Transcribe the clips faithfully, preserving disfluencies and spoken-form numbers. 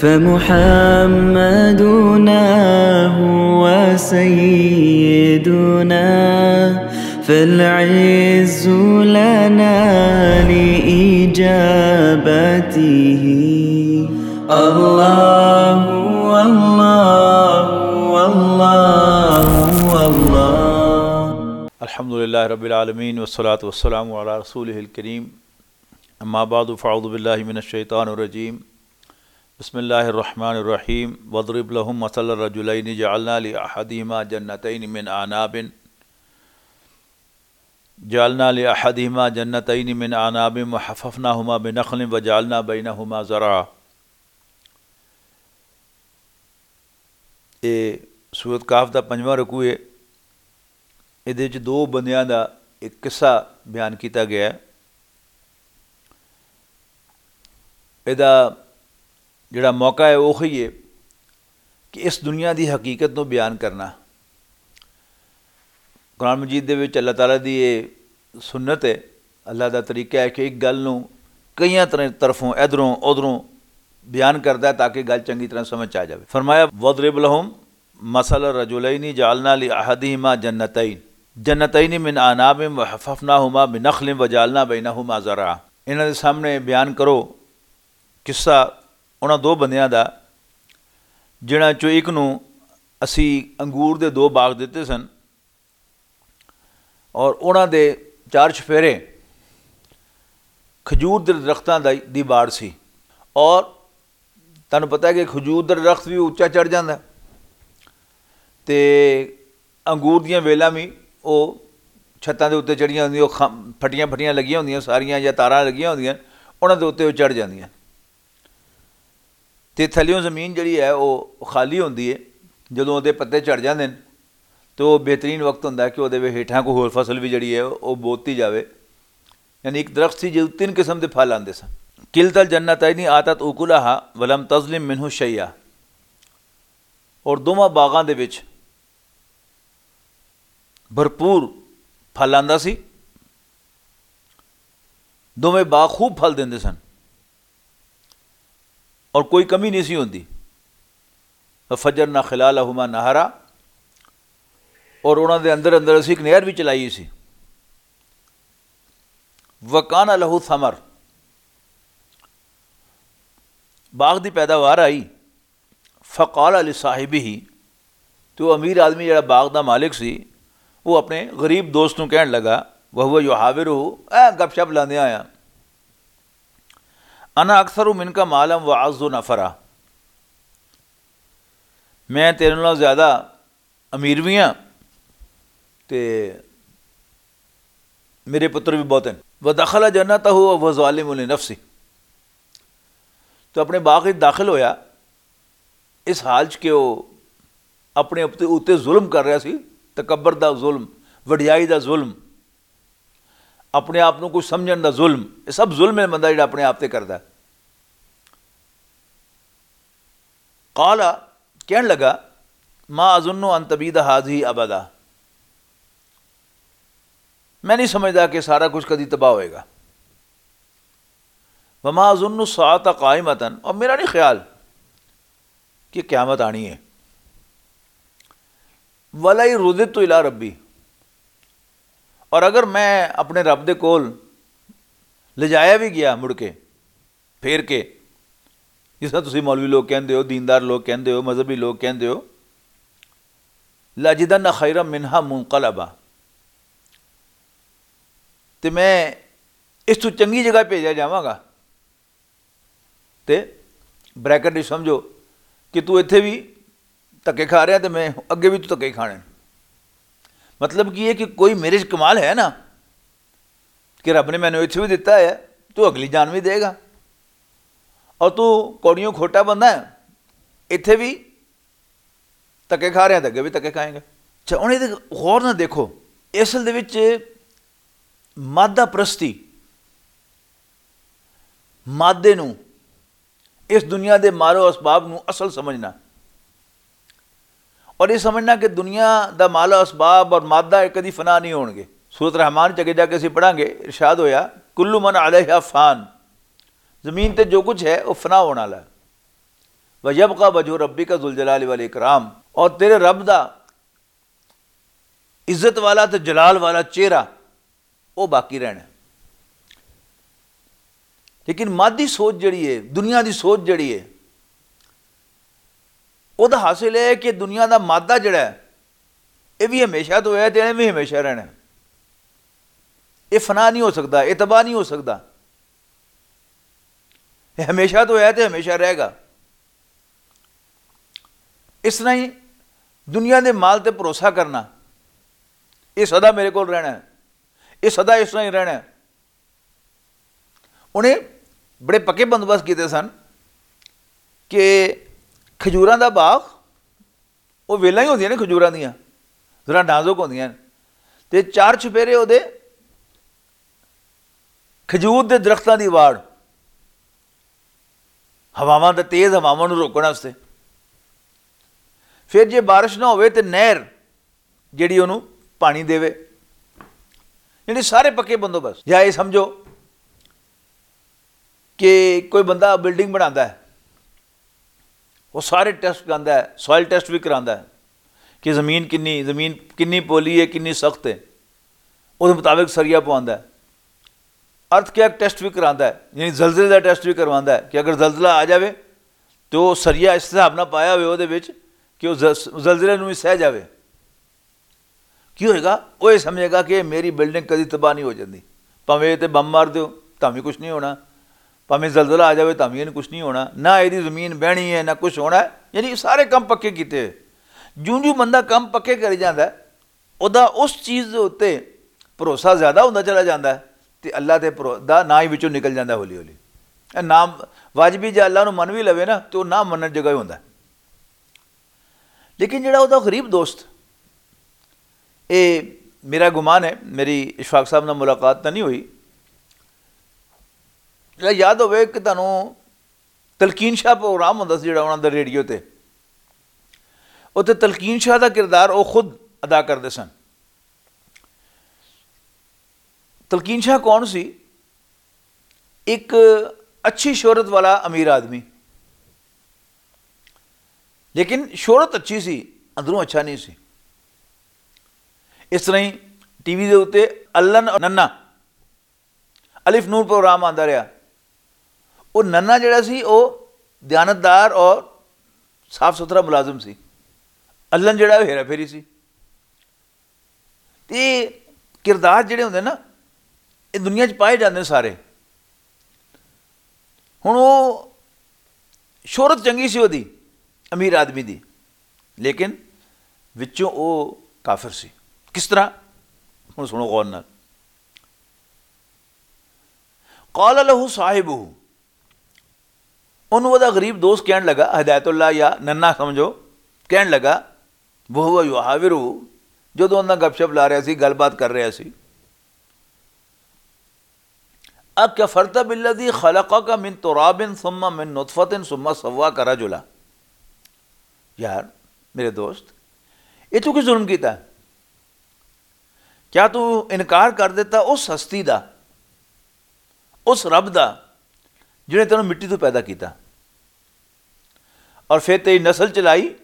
فمحمدنا هو سيدنا، فالعز لنا لإجابته. الله، الله، الله، الله. الحمد لله رب العالمين، والصلاة والسلام على رسوله الكريم. أما بعد، فأعوذ بالله من الشيطان الرجيم. بسم الله الرحمن الرحيم. واضرب لهم مثل الرجلين جعلنا لأحدهما جنتين من أعناب، جعلنا لأحدهما جنتين من أعناب وحففناهما بنخل وجعلنا بينهما زرعا. اے سورت کاف دا پنجواں رکوع ہے۔ ادھے وچ دو بندیاں دا ایک قصہ بیان کیتا گیا ہے۔ ادا جڑا موقع ہے، وہ ہے کہ اس دنیا دی حقیقت نو بیان کرنا۔ قرآن مجید دے وچ اللہ تعالیٰ دی یہ سنت ہے، اللہ دا طریقہ ہے کہ ایک گل نو کئیاں طرح، طرفوں، ادھروں ادھروں بیان کردا ہے تاکہ گل چنگی طرح سمجھ آ جاوے۔ فرمایا، "وَاضْرِبْ لَهُمْ مَثَلَ رَجُلَيْنِ جَعَلْنَا لِأَحَدِهِمَا جَنَّتَيْنِ، جَنَّتَيْنِ مِنْ أَعْنَابٍ وَحَفَّفْنَاهُمَا بِنَخْلٍ وَجَعَلْنَا بَيْنَهُمَا زَرْعًا۔" انہاں دے سامنے بیان کرو قصہ انہاں دو بندیاں دا، جنہاں چوں ایک نوں اسی انگور دے دو باغ دتے سن، اور انہاں دے چار چفیرے کھجور دے درختاں دا، دی باڑ سی۔ اور تانوں پتہ ہے کہ کھجور دا درخت بھی اچا چڑھ جاندا ہے، تے انگور دیاں ویلاں بھی او چھتاں دے اُتے چڑھیاں ہوندیاں، او خ-، پھٹیاں پھٹیاں لگیاں ہوندیاں ساریاں، یا تاراں لگیاں ہوندیاں، انہاں دے اُتے او چڑھ جاندیاں۔ تے تھلیوں زمین جڑی ہے، او خالی ہوندی ہے۔ جدوں اودے پتے چڑھ جاندے نے، تے او بہترین وقت ہوندا ہے کہ اودے وچ ہیٹھاں کوئی ہور فصل وی جڑی ہے، او بوتی جاوے۔ یعنی ایک درخت سی، جدوں تین قسم دے پھل آندے سن۔ "کلتا الجنتین آتت اکلہا ولم تظلم منہ شیئا۔" اور دوواں باغاں دے وچ بھرپور پھل آندا سی، دوویں باغ خوب پھل دیندے سن اور کوئی کمی نہیں سی ہوندی۔ "وفجرنا خلالہما نہرا"، اور انہاں دے اندر اندر اسی ایک نہر بھی چلائی سی۔ "وکان لہ ثمر"، باغ دی پیداوار آئی۔ "فقال لصاحبہ"، تو امیر آدمی جڑا باغ دا مالک سی، وہ اپنے غریب دوست نوں کہن لگا، "وہو یحاورہ"، اے گپ شپ لاندے آیا، "انا اکثر منک مالا واعز نفرا"، میں تیرے نال زیادہ امیر بھی ہاں تے میرے پتر بھی بہت ہیں۔ "ودخل جنتہ وہو ظالم لنفسہ"، تو اپنے باغ وچ داخل ہویا اس حال چ کہ وہ اپنے اپنے اُتے ظلم کر رہا سی، تکبر دا ظلم، وڈیائی دا ظلم، اپنے آپ نوں کچھ سمجھن دا ظلم، یہ سب ظلم ہے بندہ جڑا اپنے آپ تے کردا ہے۔ قال، کہن لگا، "ما اظن ان تبید هذه ابدا"، میں نہیں سمجھدا کہ سارا کچھ کدی تباہ ہوئے گا۔ "وما اظن الساعة قائمة"، اور میرا نہیں خیال کہ قیامت آنی ہے۔ "ولئن رددت الی ربی"، اور اگر میں اپنے رب دے کول لے جایا بھی گیا مڑ کے، پھیر کے، جس طرح تسی مولوی لوگ کہندے ہو، دیندار لوگ کہندے ہو، مذہبی لوگ کہندے ہو، "لَأَجِدَنَّ خَيْرًا مِنْهَا مُنْقَلَبًا"، تے میں اس تو چنگی جگہ بھیجا جاواں گا۔ تے بریکٹ وچ سمجھو کہ تو ایتھے بھی دھکے کھا رہا تے میں اگے بھی تو دھکے کھانے۔ مطلب کی ہے کہ کوئی میرے چ کمال ہے نا، کہ رب نے مینوں ایتھے بھی دتا ہے، تو اگلی جان بھی دے گا۔ اور تو کوڑیوں کھوٹا بندہ ہے، ایتھے بھی تکے کھا رہے ہیں، تے اگے بھی تکے کھائیں گے۔ اچھا، ہن ایہدے غور نال دیکھو، اصل دے وچ مادہ پرستی، مادے نوں، اس دنیا دے مال و اسباب نوں اصل سمجھنا، اور یہ سمجھنا کہ دنیا دا مال و اسباب اور مادہ یہ کدی فنا نہیں ہون گے۔ سورۃ رحمان چ اگے جا کے اسی پڑھاں گے، ارشاد ہویا، "کل من علیہا فان"، زمین تے جو کچھ ہے وہ فنا ہونے والا ہے۔ وَيَبْقَى وَجْهُ رَبِّكَ ذُو الْجَلَالِ وَالْإِكْرَامِ، اور تیرے رب دا عزت والا تے جلال والا چہرہ، وہ باقی رہنا ہے۔ لیکن مادی سوچ جڑی ہے، دنیا دی سوچ جڑی ہے، وہ دا حاصل ہے کہ دنیا دا مادہ جڑا ہے، یہ بھی ہمیشہ تو ہے تے ایویں بھی ہمیشہ رہنا ہے۔ یہ فنا نہیں ہو سکتا، یہ تباہ نہیں ہو سکتا۔ یہ ہمیشہ تو ہے تے ہمیشہ رہے گا۔ اس طرح ہی دنیا دے مال تے بھروسہ کرنا، یہ سدا میرے کول رہنا ہے، یہ سدا اس طرح ہی رہنا ہے۔ انہیں بڑے پکے بندوبست کیتے سن کہ کھجوراں دا باغ، وہ ویلاں ہی ہوندیاں نے کھجوراں دیاں، ذرا نازک ہوندیاں نے، تے چار چھپیرے او دے کھجور دے درختاں دی واڑ، ہواواں دے، تیز ہواواں نوں روکن واسطے۔ پھر جے بارش نہ ہوئے تے نہر جیڑی اونوں پانی دے، یعنی سارے پکے بندوبست۔ یا یہ سمجھو کہ کوئی بندہ بلڈنگ بناندا ہے، وہ سارے ٹیسٹ کراندا ہے، سوائل ٹیسٹ بھی کراندا ہے کہ زمین کنی، زمین کنی پولی ہے، کنی سخت ہے، اس مطابق سریا پواندا ہے۔ ارتھ کیا ٹیسٹ بھی کراندا ہے، یعنی زلزلے دا ٹیسٹ بھی کرواندا ہے کہ اگر زلزلہ آ جاوے تو سریا اس حساب نہ پایا ہوئے وہ دے وچ کہ وہ زلزلے نوں بھی سہ جاوے۔ کی ہوئے گا؟ وہ یہ سمجھے گا کہ میری بلڈنگ کدی تباہ نہیں ہو جاندی، پاویں تے بم مار دیو، تاں وی کچھ نہیں ہونا، پاویں زلزلہ آ جاوے تاں وی کچھ نہیں ہونا، نہ ایہدی زمین بہنی ہے نہ کچھ ہونا ہے۔ یعنی سارے کم پکے کیتے ہوئے۔ جوں جوں بندہ کم پکے کری جاندا ہے، اوہدا اس چیز دے اتے بھروسہ زیادہ ہوندا چلا جاندا ہے، تے اللہ دے بھرو- دا نہ ہی وچوں نکل جاندا ہے ہولی ہولی۔ اے نام واجبی جے اللہ نوں من وی لوے نا، تے او نہ منن جگہ ہی ہوندا ہے۔ لیکن جڑا اوہدا غریب دوست، اے میرا گمان ہے، میری اشفاق صاحب نال ملاقات تاں نہیں ہوئی، جڑا یاد ہوئے کہ تانوں تلقین شاہ پروگرام ہوندا سی جڑا انہاں دا ریڈیو تے، اوتے تلقین شاہ دا کردار او خود ادا کردے سن۔ تلقین شاہ کون سی؟ ایک اچھی شہرت والا امیر آدمی، لیکن شہرت اچھی سی، اندروں اچھا نہیں سی۔ اس طرح ہی ٹی وی دے اتے الن اور ننا، الف نور پروگرام آندا رہیا۔ وہ ننا جڑا سی، وہ دیانتدار اور صاف ستھرا ملازم سی۔ الن جڑا، وہ ہیرا پھیری سی۔ تے کردار جڑے ہوندے نا، یہ دنیا چ پائے جاندے سارے۔ ہن وہ شہرت چنگی سی وہدی، امیر آدمی دی، لیکن وچوں وہ کافر سی۔ کس طرح؟ ہن سنو غور نال۔ قال له صاحبه، انہوں دا غریب دوست کہن لگا، ہدایت اللہ یا ننا سمجھو، کہن لگا، وهو يحاوره، جدوں انہاں گپ شپ لا رہا سی، گل بات کر رہا سی، اکفرت بالذی خلقک من تراب ثم من نطفۃ ثم سواک رجلا۔ یار، میرے دوست، یہ تو کی ظلم کیتا؟ کیا تو انکار کر دیتا اس ہستی دا، اس رب دا، جنہیں تینوں مٹی تو پیدا کیتا اور پھر تیری نسل چلائی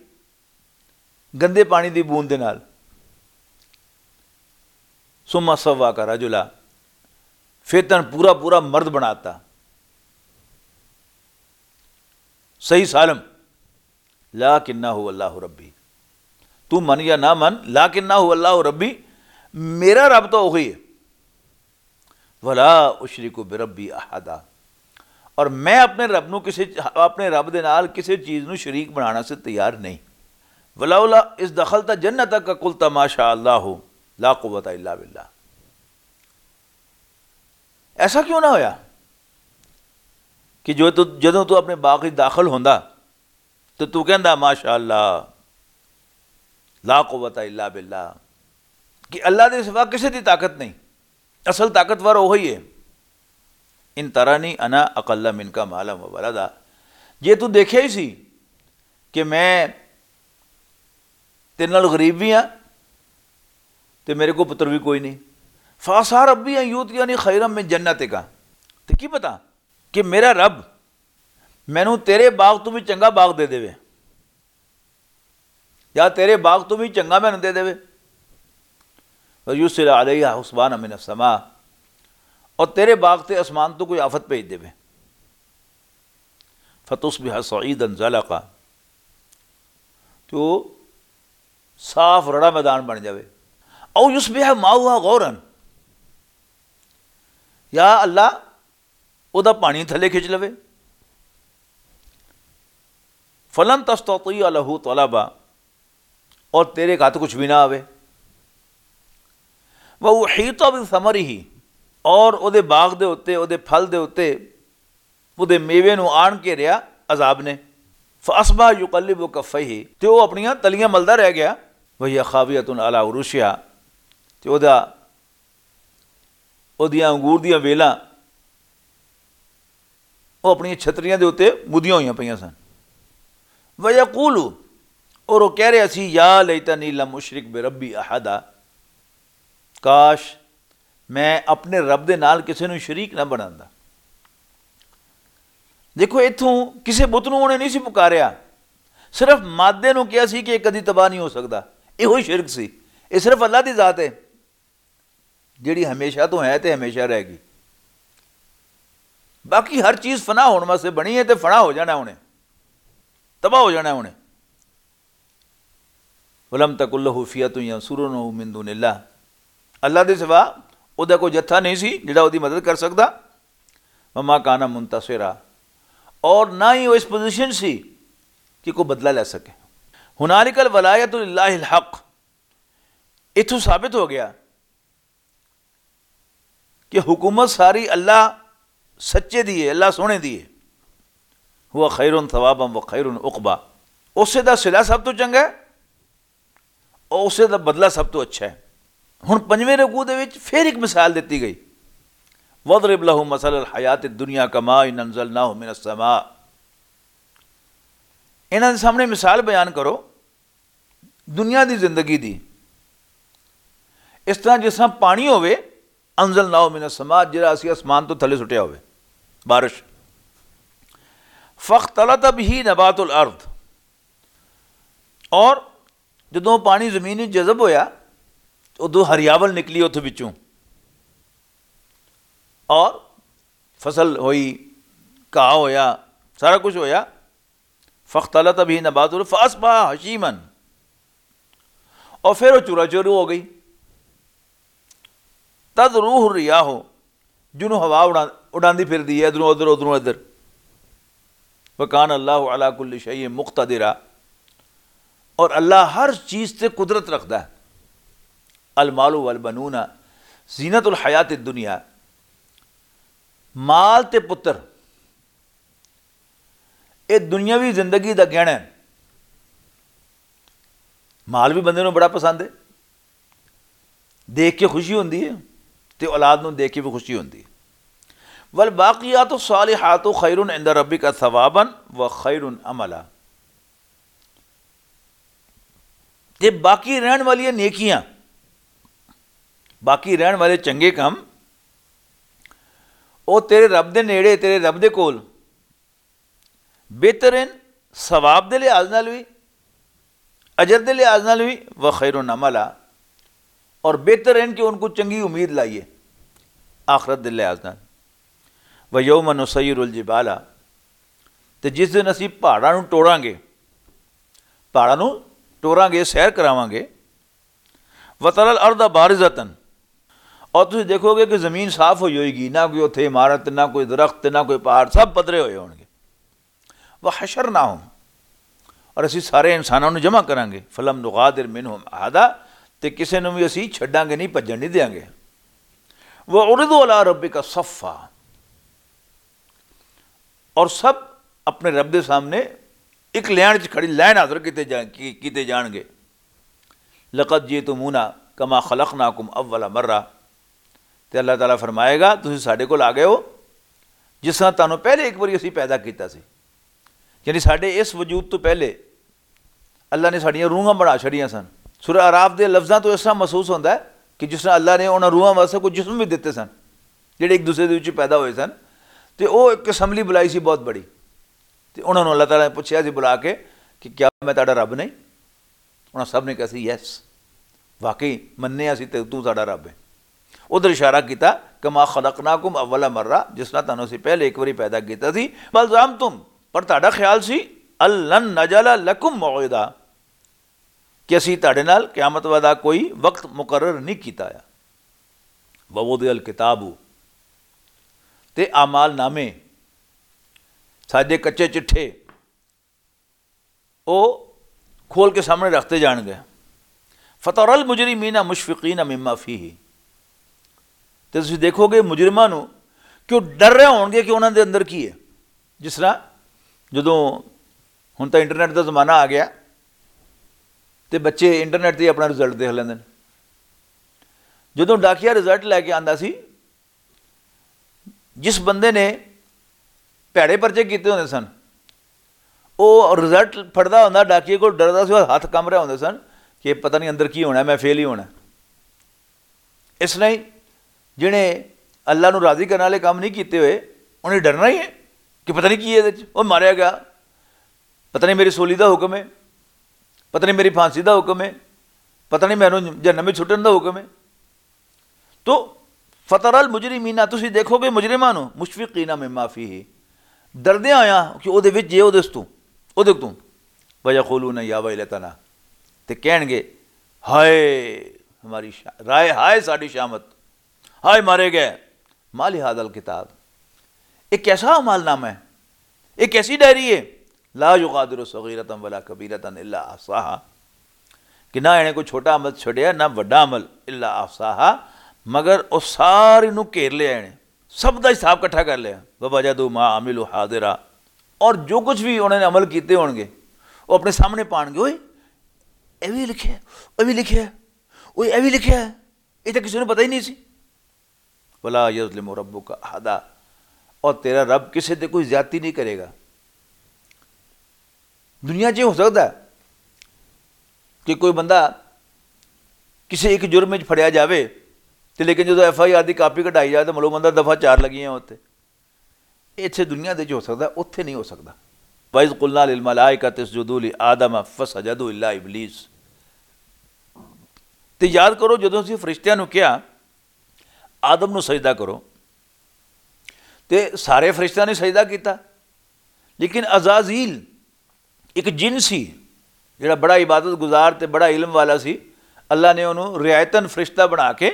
گندے پانی دی بوند دے نال؟ ثم سواک رجلا، پھر تن پورا پورا مرد بناتا، صحیح سالم۔ لکنہ اللہ ربی، تو من یا نہ من، لکنہ اللہ ربی، میرا رب تو وہی ہے۔ ولا اشرک بربی احدا، اور میں اپنے رب نو کسی، اپنے رب دے نال کسی چیز نو شریک بنانا سے تیار نہیں۔ ولولا اذ دخلت جنتک قلت ما شاء اللہ لا قوت الا باللہ۔ ایسا کیوں نہ ہویا کہ جو تو، جدوں تو اپنے باغ وچ داخل ہوندا تو تو کہندا، ماشاءاللہ، لا قوت الا باللہ، کہ اللہ دے سوا کسے دی طاقت نہیں، اصل طاقتور وہی ہے۔ ان ترانی انا اقل منک مالا و ولدا، جے تو دیکھیا ہی سی کہ میں تیرے نال غریب بھی ہاں تے میرے کو پتر بھی کوئی نہیں، فعسیٰ ربی ان یؤتینی خیرا من جنتک، تے کی پتا کہ میرا رب مینوں تیرے باغ تو بھی چنگا باغ دے دے، یا تیرے باغ تو بھی چنگا مینوں دے دے، وَيُرْسِلَ عَلَيْهَا حُسْبَانًا مِّنَ السَّمَاءِ، اور تیرے باغ تے آسمان تو کوئی آفت بھیج دے، فَتُصْبِحَ صَعِيدًا زَلَقًا، تو صاف رڑا میدان بن جاوے۔ او یصبح ماؤہا غورن، یا اللہ، او دا پانی تھلے کھچ لوے۔ فلن تستطیع لہ طلبا، اور تیرے ہاتھ کچھ بھی نہ آوے۔ وہ احیط بثمرہ، اور او دے باغ دے اُتے، او دے پھل دے اُتے، او دے میوے نوں آن کے رہیا عذاب نے۔ فاصبح یقلب کفیہ، تے او اپنیاں تلیاں ملدا رہ گیا۔ وہی خاویۃ علی عروشہا، تے او دا، او دیاں انگور دیاں ویلاں، او اپنی چھتریاں دے اُتے مدیاں ہوئیاں پئیاں سن۔ ویقول، اور او کہہ رہیا سی، یا لیتنی لم اشرک بربی احدا، کاش میں اپنے رب دے نال کسے نوں شریک نہ بناندا۔ دیکھو، اتھوں کسے بت نوں انہیں نہیں سی پکاریا، صرف مادے نوں کہیا سی کہ یہ کدی تباہ نہیں ہو سکدا۔ یہ ہوئی شرک سی۔ یہ صرف اللہ دی ذات ہے، جڑی ہمیشہ تو ہے تے ہمیشہ رہے گی۔ باقی ہر چیز فنا ہون واسطے بنی ہے تے فنا ہو جانا انہیں، تباہ ہو جانا انہیں۔ ولم تکن لہ فئۃ ینصرونہ من دون اللہ، اللہ دے سوا او دا کوئی جتھا نہیں سی جڑا او دی مدد کر سکدا۔ وما کان منتصرا، اور نہ ہی وہ اس پوزیشن سی کہ کوئی بدلہ لے سکے۔ ہنالک الولایۃ للہ الحق، اتھوں ثابت ہو گیا کہ حکومت ساری اللہ سچے دی ہے، اللہ سونے دی ہے۔ ہوا خیر ثوابا و خیر عقبا، اسے دا صلہ سب تو چنگا ہے اور اسے دا بدلہ سب تو اچھا ہے۔ ہن پنجویں رکوع دے وچ پھر ایک مثال دتی گئی، وَاضْرِبْ لَهُمْ مَثَلَ الْحَيَاةِ الدُّنْيَا كَمَاءٍ أَنْزَلْنَاهُ مِنَ السَّمَاءِ۔ انہاں دے سامنے مثال بیان کرو دنیا دی زندگی دی، اس طرح جس طرح پانی ہووے، انزلناہ من السماء، جڑا اسی آسمان تو تھلے سٹیا ہووے، بارش۔ فاختلط به نبات الارض، اور جدوں پانی زمین وچ جذب ہویا، ادوں ہریاول نکلی اتھوں وچوں، اور فصل ہوئی، گھاہ ہویا، سارا کچھ ہویا۔ فاختلط به نبات الارض فاصبح هشيما، اور پھر وہ چورا چورو ہو گئی۔ تذروه الرياح، جنوں ہوا اڑا-، اڑاندی پھردی ہے ادھروں ادھر، ادھروں ادھر۔ وكان الله على كل شيء مقتدرا، اور اللہ ہر چیز تے قدرت رکھدا ہے۔ المال والبنون زینت الحیات الدنیا، مال تے پتر، اے دنیاوی زندگی دا گہنا ہے۔ مال بھی بندے نوں بڑا پسند ہے، دیکھ کے خوشی ہوندی ہے، تے اولاد نوں دیکھ کے بھی خوشی ہوندی ہے۔ والباقیات الصالحات خیر عند ربک ثوابا و خیر عملا۔ تے باقی رہن والیاں نیکیاں، باقی رہن والے چنگے کم، او تیرے رب دے نیڑے، تیرے رب دے کول بہتر ہیں، ثواب دے لحاظ نال بھی، اجر دے لحاظ نال بھی، وخیر عملا، اور بہتر ہیں کہ ان کو چنگی امید لائیے آخرت دے لحاظ نال۔ ویوم نسیر الجبال، تے جس دن اسی پہاڑاں نوں ٹوراں گے، پہاڑاں نوں ٹوراں گے، سیر کراواں گے، وترى الارض بارزة، اور تسی دیکھو گے کہ زمین صاف ہوئی ہوئے گی، نہ کوئی اتھے عمارت، نہ کوئی درخت، نہ کوئی پہاڑ، سب پدرے ہوئے ہون گے۔ وحشرناهم، اور اسی سارے انساناں نوں جمع کراں گے، فلم نغادر منهم احدا، تے کسے نوں بھی اسی چھڈاں گے نہیں، بھجن نہیں دیاں گے۔ وعرضوا على ربك صفا، اور سب اپنے رب دے سامنے ایک لین چ کھڑی، لین حاضر کیتے جا-، کی-، کیتے جان گے۔ لقد جئتمونا کما خلقناکم اول مرہ، تے اللہ تعالیٰ فرمائے گا، تسی ساڈے کول آ گئے ہو جس طرح تانوں پہلے ایک باری اسی پیدا کیتا سی، یعنی ساڈے اس وجود تو پہلے اللہ نے ساڈیاں روحاں بنا چھڑیاں سن۔ سورہ اعراف دے لفظاں تو اس طرح محسوس ہوندا ہے کہ جس طرح اللہ نے انہاں روحاں واسطے کوئی جسم بھی دتے سن، جڑے ایک دوسرے دے وچ پیدا ہوئے سن، تے او ایک اسمبلی بلائی سی بہت بڑی۔ تے انہاں نوں اللہ تعالیٰ نے پچھیا سی بلا کے کہ کیا میں تہاڈا رب نہیں؟ انہاں سب نے کہا سی، یس، واقعی مننے اسی تے تو ساڈا رب ہے۔ ادھر اشارہ کیتا، کما خلقناکم اول مرہ، جس طرح تانوں اسی پہلے ایک واری پیدا کیتا سی، بل زعمتم، پر تہاڈا خیال سی، الن نجعل لکم موعدا، کہ اسی تہاڈے نال قیامت والا کوئی وقت مقرر نہیں کیتا آیا۔ ووضع الکتاب، تے اعمال نامے، ساڈے کچے چٹھے، او کھول کے سامنے رکھتے جان گئے۔ فتر المجرمین مشفقین مما فیہ، تے تسی دیکھو گے مجرماں نو کہ وہ ڈر رہے ہون گے کہ انہاں دے اندر کی ہے۔ جس طرح جدوں ہن تاں انٹرنیٹ دا زمانہ آ گیا، تے بچے انٹرنیٹ تے اپنا رزلٹ دیکھ لیندے نے۔ جدوں ڈاکیا رزلٹ لے کے آندا سی، جس بندے نے پیڑے پرچے کیتے ہوندے سن، وہ رزلٹ پڑھدا ہوندا، ڈاکیے کول ڈردا سی، ہاتھ کم رہے ہوندے سن کہ پتہ نہیں اندر کی ہونا ہے، میں فیل ہی ہونا ہے۔ اس لئی جنہیں اللہ نوں راضی کرنے والے کام نہیں کیتے ہوئے، انہیں ڈرنا ہی ہے کہ پتہ نہیں کی ہے، وہ ماریا گیا، پتہ نہیں میری سولی دا حکم ہے، پتہ نہیں میری پھانسی دا حکم ہے، پتہ نہیں مینوں جہنم میں چھٹن دا حکم ہے۔ تو فتر المجرمین، تسی دیکھو گے مجرماں نوں، مشفقین مما فیہ، ڈردے آیا کہ او دے وچ جے او دے تو، او دے تو۔ ویقولون یا ویلتنا، تے کہن گے، ہائے ہماری شا-، رائے ہائے ساڈی شامت، ہائے مارے گئے۔ ما لہذا الکتاب، ایک ایسا عمل نامہ ہے، ایک ایسی ڈائری ہے، لا یغادر صغیرۃ ولا کبیرۃ الا احصاها، کہ نہ اینے کوئی چھوٹا عمل چھڈیا نہ وڈا عمل، الا احصاها، مگر او ساری نو گھیر لیا اینے، سب دا حساب اکٹھا کر لیا۔ ووجدوا ما عملوا حاضرا، اور جو کچھ بھی انہوں نے عمل کیتے ہون گے، وہ اپنے سامنے پان گے، اوئے اے بھی لکھیا ہے، او بھی لکھیا ہے، اوئے اے بھی لکھیا ہے۔ یہ تو کسی نوں پتہ ہی نہیں سی۔ ولا یظلم ربک احدا، اور تیرا رب کسی تے کوئی زیادتی نہیں کرے گا۔ دنیا 'چ ہو سکدا ہے کہ کوئی بندہ کسی ایک جرم وچ پھڑیا جاوے، تے لیکن جدوں ایف آئی آر دی کاپی کڈائی جائے تو ملو بندہ دفعہ چار لگی ہیں اتنے۔ اتھے دنیا دے 'چ ہو سکدا، اتھے نہیں ہو سکدا۔ وَإِذْ قُلْنَا لِلْمَلَائِكَةِ اسْجُدُوا لِآدَمَ فَسَجَدُوا إِلَّا إِبْلِيسَ۔ تے یاد کرو جدوں اسی فرشتیاں نوں کہیا، آدم نوں سجدہ کرو، تے سارے فرشتیاں نے سجدہ کیتا، لیکن عزازیل ایک جن سی، جڑا بڑا عبادت گزار تے بڑا علم والا سی، اللہ نے انہوں رعایتاً فرشتہ بنا کے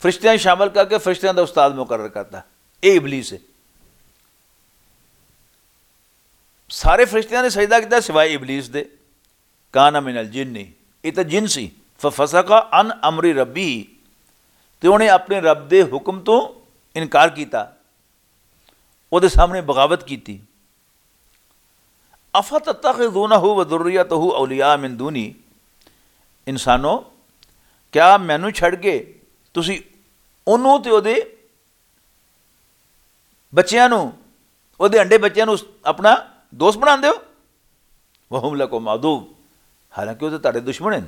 فرشتیاں شامل کر کے فرشتیاں دا استاد مقرر کرتا۔ اے ابلیس ہے۔ سارے فرشتیاں نے سجدہ کیتا سوائے ابلیس دے۔ کان من الجن، یہ تو جن سی۔ ففسق عن امر ربی، تے انہیں اپنے رب دے حکم تو انکار کیتا، او دے سامنے بغاوت کیتی۔ افتتخذونہ و ذریتہ اولیاء من دونی، انسانو، کیا مینوں چھڈ کے تسی اونوں تے اودے بچیاں نوں، اودے انڈے بچیاں نوں اپنا دوست بناندے ہو؟ وہم لکم عدو، حالانکہ وہ تو تہاڈے دشمن ہیں۔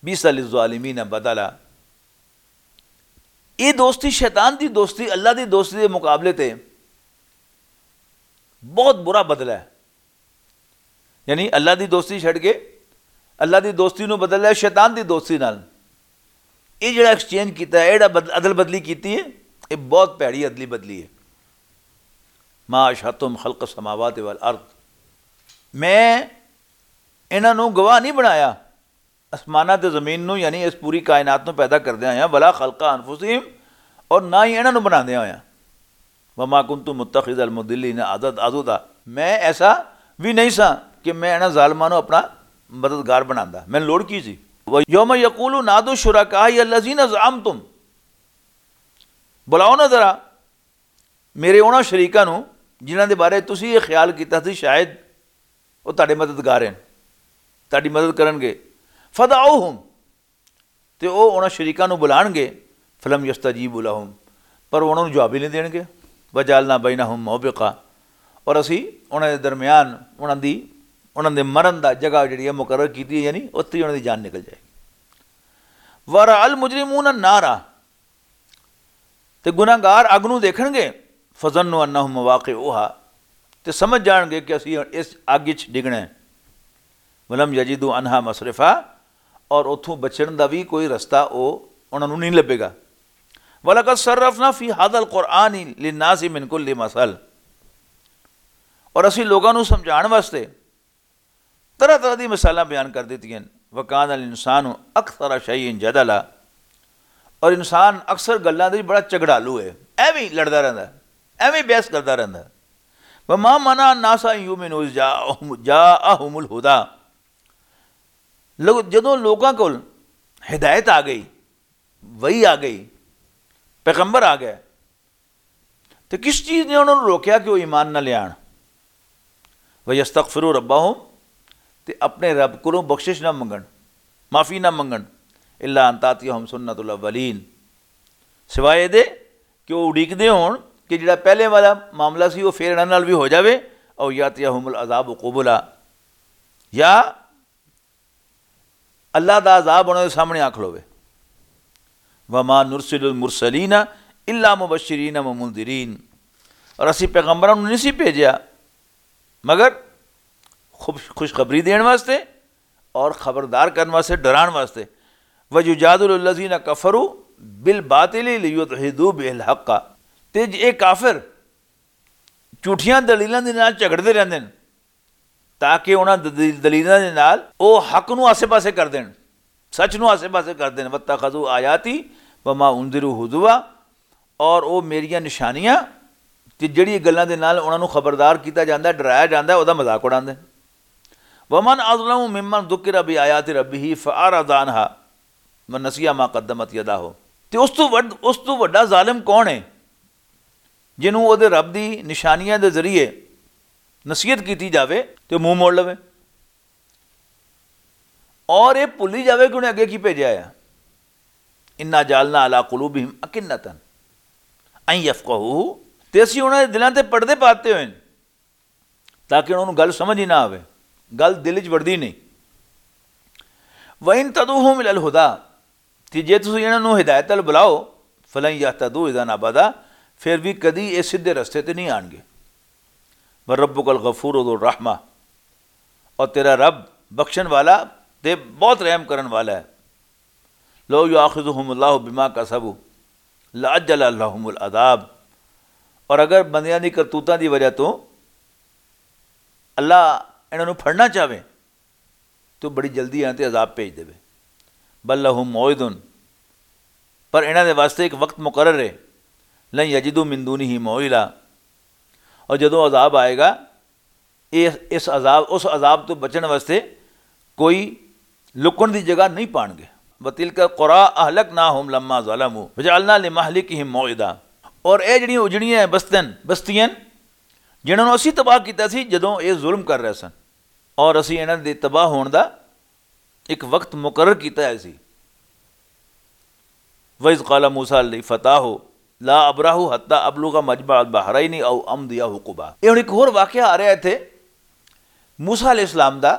بیس للظالمین بدلا، یہ دوستی، شیطان دی دوستی اللہ دی دوستی دے مقابلے تے بہت برا بدلہ ہے۔ یعنی اللہ دی دوستی چھڈ کے اللہ دی دوستی نو بدل لیا شیطان دی دوستی نال۔ یہ جڑا ایکسچینج کیتا ہے، یہ جڑا بد-، عدل بدلی کیتی ہے، یہ بہت پیڑی عدلی بدلی ہے۔ ما اشہدتہم خلق السماوات والارض، میں انہاں نو گواہ نہیں بنایا آسماناں تے زمین نوں، یعنی اس پوری کائنات نوں پیدا کردیاں ہویاں، ولا خلق انفسہم، اور نہ ہی انہاں نوں بناندیاں ہویاں۔ وما کنت متخذ المضلین عضد-، عضدا، میں ایسا بھی نہیں سا کہ میں انہاں ظالماں نوں اپنا مددگار بناندا، میں لوڑ کی سی؟ ویوم یقول نادوا شرکائی الذین زعمتم، بلاؤ نا ذرا میرے انہاں شریکاں نوں جنہاں دے بارے تسی یہ خیال کیتا سی شاید وہ تہاڈے مددگار ہیں، تہاڈی مدد کرن گے۔ فدعوہم، تے او انہاں شریکاں نوں بلان گے۔ فلم یستجیبوا لہم، پر وہ انہاں نوں جواب ہی نہیں دین گے۔ وجعلنا بینہم موبقا، اور اسی انہاں دے درمیان انہاں دی، انہاں دے مرن دا جگہ جڑی ہے مقرر کیتی ہے، یعنی اتھے ہی انہاں دی جان نکل جائے گی۔ ورأى المجرمون النار، تے گناہگار اگ نوں دیکھن گے۔ فظنوا انہم مواقعوہا، تے سمجھ جان گے کہ اسی اس اگ وچ ڈگنا ہے۔ ولم یجدوا عنہا مصرفا، اور اتھوں بچن دا بھی کوئی رستہ او انہاں نوں نہیں لبھے گا۔ ولقد صرفنا فی ھذا القرآن للناس من کل مثل، اور اسی لوگاں نوں سمجھان واسطے طرح طرح دی مثالاں بیان کر دتیاں۔ وکان الانسان اکثر شیء جدلا، اور انسان اکثر گلاں دے وچ بڑا جھگڑالو ہے، ایویں لڑدا رہندا ہے، ایویں بحث کردا رہندا ہے۔ وما منع الناس ان یؤمنوا اذ جاءہم، جاءہم الہدی، لوگ، جدوں لوکاں کول ہدایت آ گئی، وحی آ گئی، پیغمبر آ گئے، تے کس چیز نے انہاں نوں روکیا کہ وہ ایمان نہ لیان؟ وَيَسْتَغْفِرُوا رَبَّهُمْ، تے اپنے رب کولوں بخشش نہ منگن، معافی نہ منگن۔ إِلَّا أَن تَأْتِيَهُمْ سُنَّةُ الْأَوَّلِينَ، سوائے دے کہ وہ اڈیکدے ہون کہ جڑا پہلے والا معاملہ سی وہ پھر انہاں نال بھی ہو جاوے۔ أَوْ يَأْتِيَهُمُ الْعَذَابُ قُبُلًا، یا اللہ دا عذاب انہاں دے سامنے آ کھلوے۔ وما نرسل المرسلین الا مبشرین و منذرین، اور اسی پیغمبراں نوں نہیں سی بھیجیا مگر خوش-، خوشخبری دین واسطے اور خبردار کرن واسطے، ڈران واسطے۔ ویجادل الذین کفروا بالباطل لیدحضوا به الحق، تے یہ کافر جھوٹیاں دلیلاں دے نال جھگڑدے رہندے نے تاکہ انہاں دلیلاں دے نال او حق نوں آسے پاسے کر دین، سچ نوں آسے پاسے کر دین۔ واتخذوا آیاتی وما انذروا ہزوا، اور او میریاں نشانیاں تے جڑی گلاں دے نال انہاں نوں خبردار کیتا جاندا ہے، ڈرایا جاندا ہے، او دا مذاق اڑاندے نے۔ ومن اظلم ممن ذکر بآیات ربہ فاعرض عنہا ونسی ما قدمت یداہ۔ تے اس تو وڈ-، اس تو وڈا ظالم کون ہے جنوں او دے رب دی نشانیاں دے ذریعے نصیحت کیتی جاوے تے منہ موڑ لوے، اور اے بھلی جاوے کہ انہیں اگے کی بھیجا ہے۔ انا جعلنا علی قلوبہم اکنۃ ان یفقہوہ، تے اسی انہاں دے دلاں تے پردے پاتے ہوئے نے تاکہ انہاں نوں گل سمجھ ہی نہ آوے، گل دل وچ وڑدی نہیں۔ وَإِن تَدْعُوهُمْ إِلَى الْهُدَىٰ، تے جے تسی انہاں نوں ہدایت ال بلاؤ، فَلَن يَهْتَدُوا إِذًا أَبَدًا، پھر بھی کدی اے سیدھے رستے تے نہیں آنگے۔ وَرَبُّكَ الْغَفُورُ ذُو الرَّحْمَةِ، اور تیرا رب بخشن والا تے بہت رحم کرن والا ہے۔ لو یؤاخذہم اللہ بما کسبوا لعجل لہم العذاب، اور اگر بندیاں دی کرتوتاں دی وجہ تو اللہ انہاں نوں پھڑنا چاہے تو بڑی جلدی انہاں تے عذاب بھیج دے۔ بل لہم موعد، پر انہاں دے واسطے ایک وقت مقرر ہے۔ لن یجدوا من دونہ موئلا، اور جدوں عذاب آئے گا، اس، اس عذاب، اس عذاب تو بچن واسطے کوئی لکن دی جگہ نہیں پان گے۔ وَتِلْكَ الْقُرَىٰ أَهْلَكْنَاهُمْ لَمَّا ظَلَمُوا وَجَعَلْنَا لِمَهْلِكِهِمْ مَوْعِدًا، اور اے جڑیاں اجڑیاں ہیں بستن، بستیاں جنہاں نوں اسی تباہ کیتا سی جدوں اے ظلم کر رہے سن، اور اسی انہاں دے تباہ ہون دا ایک وقت مقرر کیتا ہے سی۔ وَإِذْ قَالَ مُوسَىٰ لِفَتَاهُ لَا أَبْرَحُ حَتَّىٰ أَبْلُغَ مَجْمَعَ الْبَحْرَيْنِ أَوْ أَمْضِيَ حُقُبًا۔ یہ ہن ایک ہور واقعہ آ رہا ہے اتھے، موسیٰ علیہ السلام دا،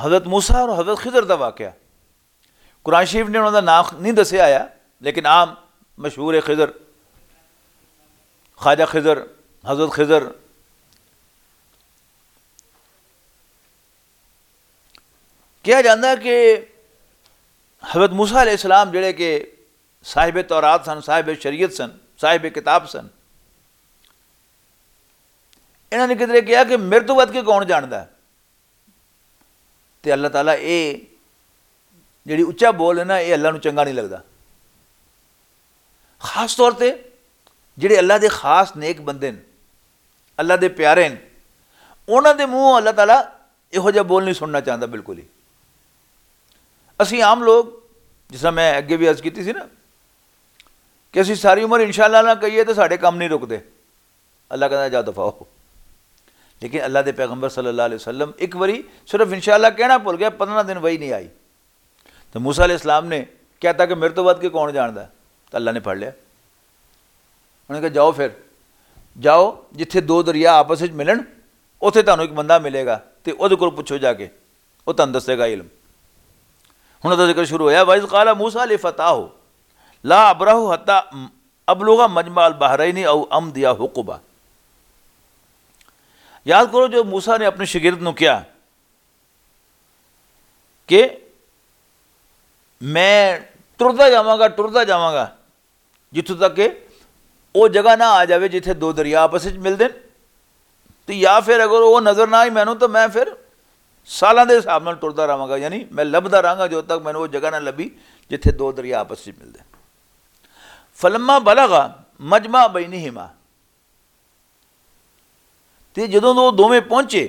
حضرت موسیٰ اور حضرت خضر دا واقعہ۔ قرآن شریف نے انہاں دا نام نہیں دسیا آیا، لیکن عام مشہور ہے خضر، خواجہ خضر، حضرت خضر۔ کہا جاندا ہے کہ حضرت موسیٰ علیہ السلام جڑے کہ صاحب تورات سن، صاحب شریعت سن، صاحب کتاب سن، انہاں نے کدھر کہا کہ میرے تو ود کے کون جاندا ہے؟ تے اللہ تعالیٰ اے جڑی اچا بول ہے نا، اے اللہ نوں چنگا نہیں لگدا۔ خاص طور تے جڑے اللہ دے خاص نیک بندے نے، اللہ دے پیارے نے، انہاں دے منہ اللہ تعالیٰ یہو جہا بول نہیں سننا چاہتا بالکل ہی۔ اسی عام لوگ، جس طرح میں اگے بھی عرض کیتی سی نا، کہ اسی ساری عمر انشاءاللہ نہ کہیے تو ساڈے کم نہیں رکدے۔ اللہ کہندا، "جاؤ دفعہ ہو۔" لیکن اللہ دے پیغمبر صلی اللہ علیہ وسلم ایک واری صرف انشاءاللہ کہنا بھول گیا، پندرہ دن وحی نہیں آئی۔ تو موسیٰ علیہ السلام نے کہتا کہ میرے تو ود کے کون جاندا ہے؟ تو اللہ نے پڑھ لیا۔ انہوں نے کہا، "جاؤ پھر، جاؤ، جتھے دو دریا آپس وچ ملن، اوتھے تانوں ایک بندہ ملے گا، تے اوہدے کول پچھو جا کے، او تانوں دسے گا علم۔" ہن اوہدا ذکر شروع ہویا، "وَإِذْ قَالَ مُوسَىٰ لِفَتَاهُ لَا أَبْرَحُ حَتَّىٰ ابلغ مجمع البحرین او امضی حقبہ۔ یاد کرو جو موسیٰ نے اپنے شاگرد نو کیا کہ میں ٹردا جاواں گا، ٹردا جاواں گا، جتھوں تک کہ او جگہ نہ آ جاوے جتھے دو دریا آپس وچ ملدے نے، تے یا پھر اگر او نظر نہ آئی مینوں، تو میں پھر سالاں دے حساب نال ٹردا رہواں گا، یعنی میں لبھدا رہاں گا جو تک مینوں او جگہ نہ لبھی جتھے دو دریا آپس وچ ملدے۔ فلما بلغ مجمع بینہما، تے جدوں او دوویں پہنچے،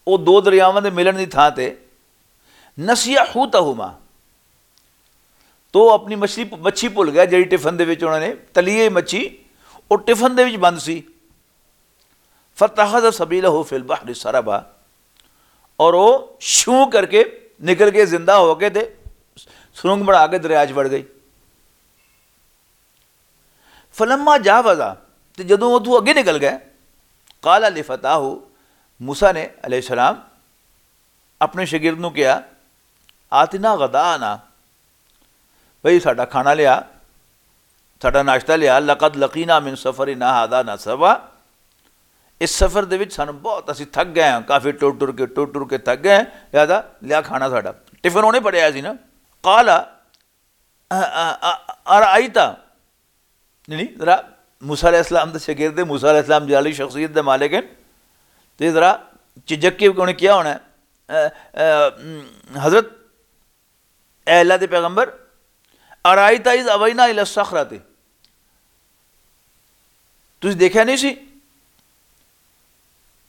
او دو دریاواں دے ملن دی تھاں تے، نسیا حوتہما، تو اپنی مچھلی، مچھی بھول گیا، جڑی ٹفن دے وچ انہوں نے تلی ہوئی مچھی، او ٹفن دے وچ بند سی۔ فتخذ سبیلہ فی البحر سربا، اور وہ شوں کر کے نکل کے، زندہ ہو کے تے سرنگ بنا کے دریا چ وڑ گئی۔ فلما جاوزا، تے جدوں وہ تو اگے نکل گئے، قال لفتاہ، موسیٰ نے علیہ السلام اپنے شاگرد نو کہا، آتنا غداءنا، بھئی ساڈا کھانا لیا، ساڈا ناشتہ لیا، لقد لقینا من سفرنا ھذا نصبا، اس سفر دے وچ سانوں بہت، اسی تھک گئے ہیں، کافی ٹر ٹر کے، ٹر ٹر کے تھک گئے ہیں، لہذا لیا کھانا ساڈا۔ ٹفن اونے پڑیا سی نا۔ قال، ا-، ا-، ا-، ارأیت، نہیں، ذرا موسیٰ علیہ السلام دے شاگرد، موسیٰ علیہ السلام جلالی شخصیت دے مالک ہیں، تے ذرا چجک کے انہیں کیا ہونا ہے، ا-، ا-، حضرت، اے اللہ دے پیغمبر، ارائیت اذ اوینا الی الصخرۃ، تسی دیکھیا نہیں سی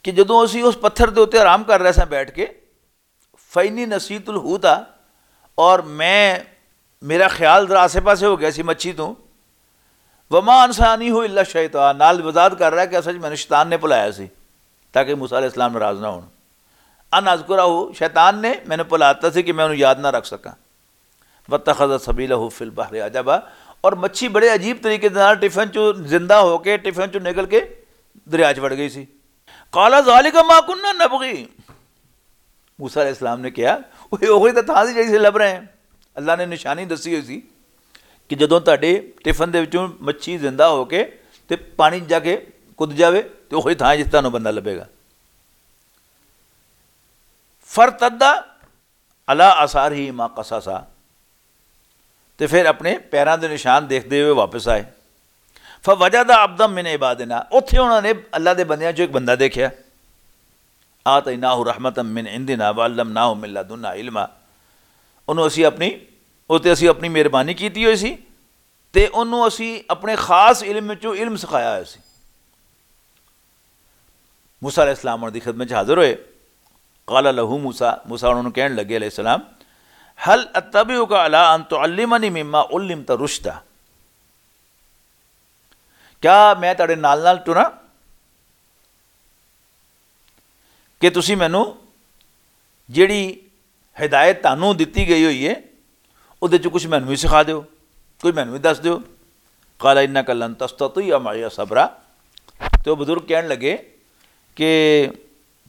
کہ جدوں اسی اس پتھر دے اُتے آرام کر رہے ساں بیٹھ کے، فَإِنِّي نَسِيتُ الْحُوتَ، اور میں، میرا خیال ذرا آسے پاسے ہو گیا سی مچھی تو، وما انسانیہ الا الشیطان، نال وضاحت کر رہا ہے کہ اصل میں نے شیطان نے بلایا سی تاکہ موسیٰ علیہ السلام ناراض نہ ہون۔ ان اذکرہ، شیطان نے مینوں بھلا دتا سی کہ میں انہوں یاد نہ رکھ سکاں۔ واتخذ سبیلہ فی البحر عجبا، اور مچھی بڑے عجیب طریقے دے نال ٹفن چوں زندہ ہو کے، ٹفن چوں نکل کے دریا چ وڑ گئی سی۔ قال ذالک ما کنا نبغی، موسیٰ علیہ السلام نے کہا، "اوہ، اوہی تاں تھاں سی جہی سے لب رہے ہیں۔" اللہ نے نشانی دسی ہوئی سی کہ جدوں تہاڈے ٹفن دے وچوں مچھی زندہ ہو کے تے پانی جا کے کود جاوے، تے اوہی تھاں جس تانوں بندہ لبے گا۔ فرتدا علی آثارہما قصصا، تے پھر اپنے پیراں دے نشان دیکھدے ہوئے واپس آئے۔ فوجد عبدا من عبادنا، اوتھے انہاں نے اللہ دے بندیاں چوں ایک بندہ دیکھیا۔ آتیناہ رحمتا من عندنا وعلمناہ من لدنا علما۔ انہوں اسی اپنی، اوتے اسی اپنی مہربانی کیتی ہوئی سی، تے انہوں اسی اپنے خاص علم وچوں علم سکھایا ہویا سی۔ موسیٰ علیہ السلام انہاں دی خدمت چ حاضر ہوئے۔ قال لہ موسیٰ، موسیٰ انہاں نوں کہن لگے علیہ السلام، "هل اتبعک علی ان تعلمنی مما علمت رشدا؟" کیا میں تہاڈے نال نال ٹراں کہ تسی مینوں جیڑی ہدایت تانوں دتی گئی ہوئی ہے، اودے چ کچھ مینوں وی سکھا دیو، کچھ مینوں وی دس دیو۔ قال انک لن تستطیع معی صبرا، تو بزرگ کہن لگے کہ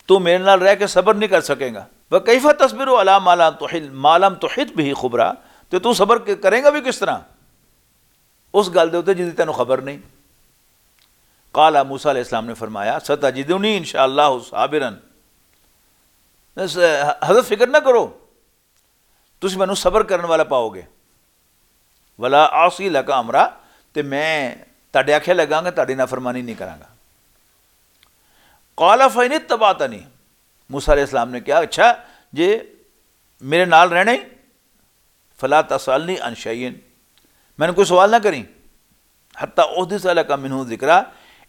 تو میرے نال رہ کے صبر نہیں کر سکے گا۔ وکیف تصبر علی ما لم تحل، ما لم تحط بہ خبرا، تو تو صبر ک-، کرے گا بھی کس طرح اس گل دے اُتے جس دی تینوں خبر نہیں؟ قال، موسیٰ علیہ السلام نے فرمایا، ستجدنی ان شاء اللہ صابرا، حضرت فکر نہ کرو، تسی مینوں صبر کرن والا پاؤ گے۔ ولا اعصی لک امرا، تے میں تہاڈے آکھے لگاں گا، تہاڈی نافرمانی نہیں کراں گا۔ قال فإن اتبعتنی، موسیٰ علیہ السلام نے کہا، اچھا، جے میرے نال رہنا ہی، فلا تسألنی عن شیء، مینوں کوئی سوال نہ کریں، حتی احدث لک منہ ذکرا،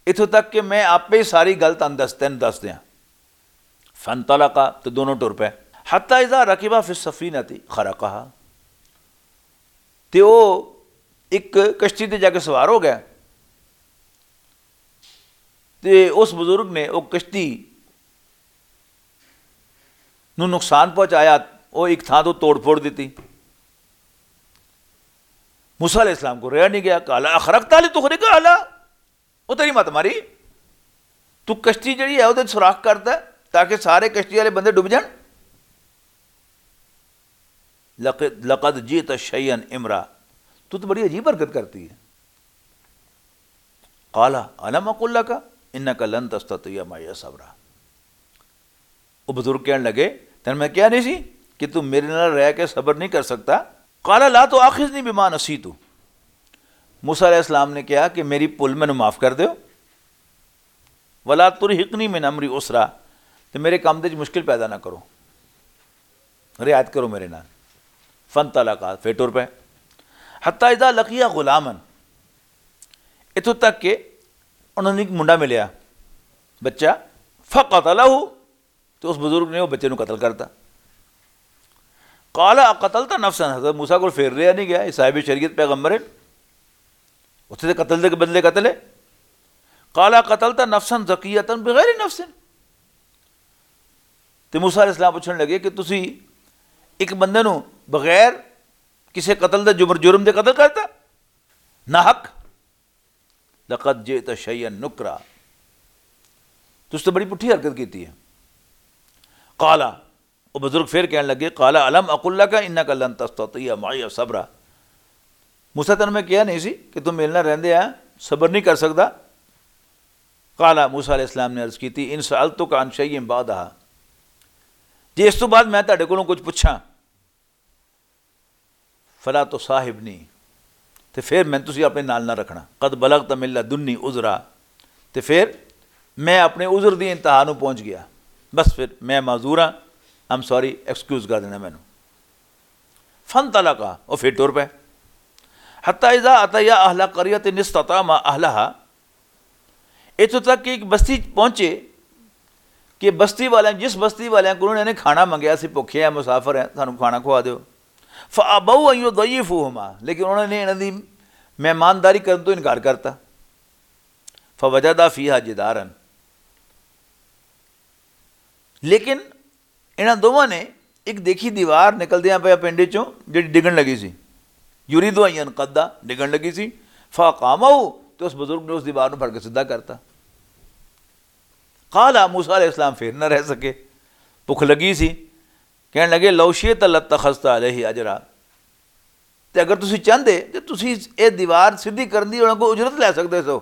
اتھوں تک کہ میں آپے ساری گل تن دس، تین دس دیاں۔ فانطلقا، تے دونوں ٹر پے۔ حتی اذا رکبا فی السفینۃ خرقہا، تے او ایک کشتی تے جا کے سوار ہو گیا، تے اس بزرگ نے او کشتی نوں نقصان پہنچایا، او ایک تھاں تو توڑ پھوڑ دتی۔ موسیٰ علیہ السلام کو رہا نہیں گیا، قال اخرقت لتغرق اہلہا، او تیری مت ماری، تو کشتی جڑی ہے، او تے سوراخ کرتا ہے تاکہ سارے کشتی والے بندے ڈوب جان۔ لقد، لقد جئت شیئا امرا، تو تو بڑی عجیب حرکت کرتی ہے۔ قال الم اقل لك انك لن تستطيع معي صبرا۔ وہ بزرگ کہنے لگے، تینوں میں کہیا نہیں سی کہ تو میرے نال رہ کے صبر نہیں کر سکتا؟ قال لا تؤاخذنی بما نسیت۔ موسیٰ علیہ السلام نے کہا کہ میری بھول مینوں معاف کر دیو۔ ولا ترهقنی من امری عسرا، تے میرے کم دے وچ مشکل پیدا نہ کرو، رعایت کرو میرے نال۔ فانطلقا، پھر ٹر پے۔ حتی اذا لقیا غلاما، اتھوں تک کہ انہوں نے ایک منڈا ملیا، بچہ، فقتلہ، تو اس بزرگ نے وہ بچے نو قتل کرتا۔ قال اقتلت نفسا، حضرت موسیٰ کو پھر رہا نہیں گیا، یہ صاحب شریعت پیغمبر ہے، اتھے تے قتل دے بدلے قتل ہے۔ قال اقتلت نفسا زکیتا بغیر نفس، تے موسیٰ علیہ السلام پوچھن لگے کہ تسی ایک بندے نو بغیر کسے قتل دے جبر جرم دے قتل کرتا؟ نہ حق۔ لقد جئت شیئا نکرا، تس تو بڑی پٹھی حرکت کیتی ہے۔ قال، وہ بزرگ پھر کہن لگے، قال الم اقل لك انك لن تستطيع معي صبرا۔ موسیٰ، تینوں میں کہیا نہیں سی کہ تم میرے نال رہندے آ صبر نہیں کر سکدا؟ قال، موسیٰ علیہ السلام نے عرض کیتی، ان سألتك عن شيء بعدها، جے اس تو بعد میں تہاڈے کولوں کچھ پچھاں، فلا تصاحبنی، تے پھر میں تسی اپنے نال نہ رکھنا۔ قد بلغت من لدنی عذرا، تے پھر میں اپنے عذر دی انتہا نو پہنچ گیا، بس پھر میں معذور ہاں، I'm sorry، ایکسکیوز کر دینا مینوں۔ فانطلقا، وہ پھر ٹر پے۔ حتی اذا اتیا اہل قریۃ استطعما اہلہا، اتھوں تک کہ ایک بستی پہنچے کہ بستی والے، جس بستی والے کو انہوں نے کھانا منگیا سی، بھوکے ہیں، مسافر ہیں، سانوں کھانا کھوا دیو۔ فابوا ان یضیفوہما، لیکن انہوں نے انہاں دی مہمانداری کرن تو انکار کرتا۔ فوجدا فیہا جدارا، لیکن انہاں دوواں نے ایک دیکھی دیوار نکلدیاں پیا پنڈ چوں، جڑی ڈگن لگی سی۔ یرید ان ینقض، ڈگن لگی سی۔ فاقامہ، تے اس بزرگ نے اس دیوار نوں پھڑ کے سدھا کرتا۔ قال، موسیٰ علیہ السلام پھر نہ رہ سکے، بھکھ لگی سی۔ کہن لگے، لو شئت لاتخذت علیہ اجرا، تے اگر تسی چاہندے تے تسی اے دیوار سدھی کرن دی انہاں کو اجرت لے سکدے سو۔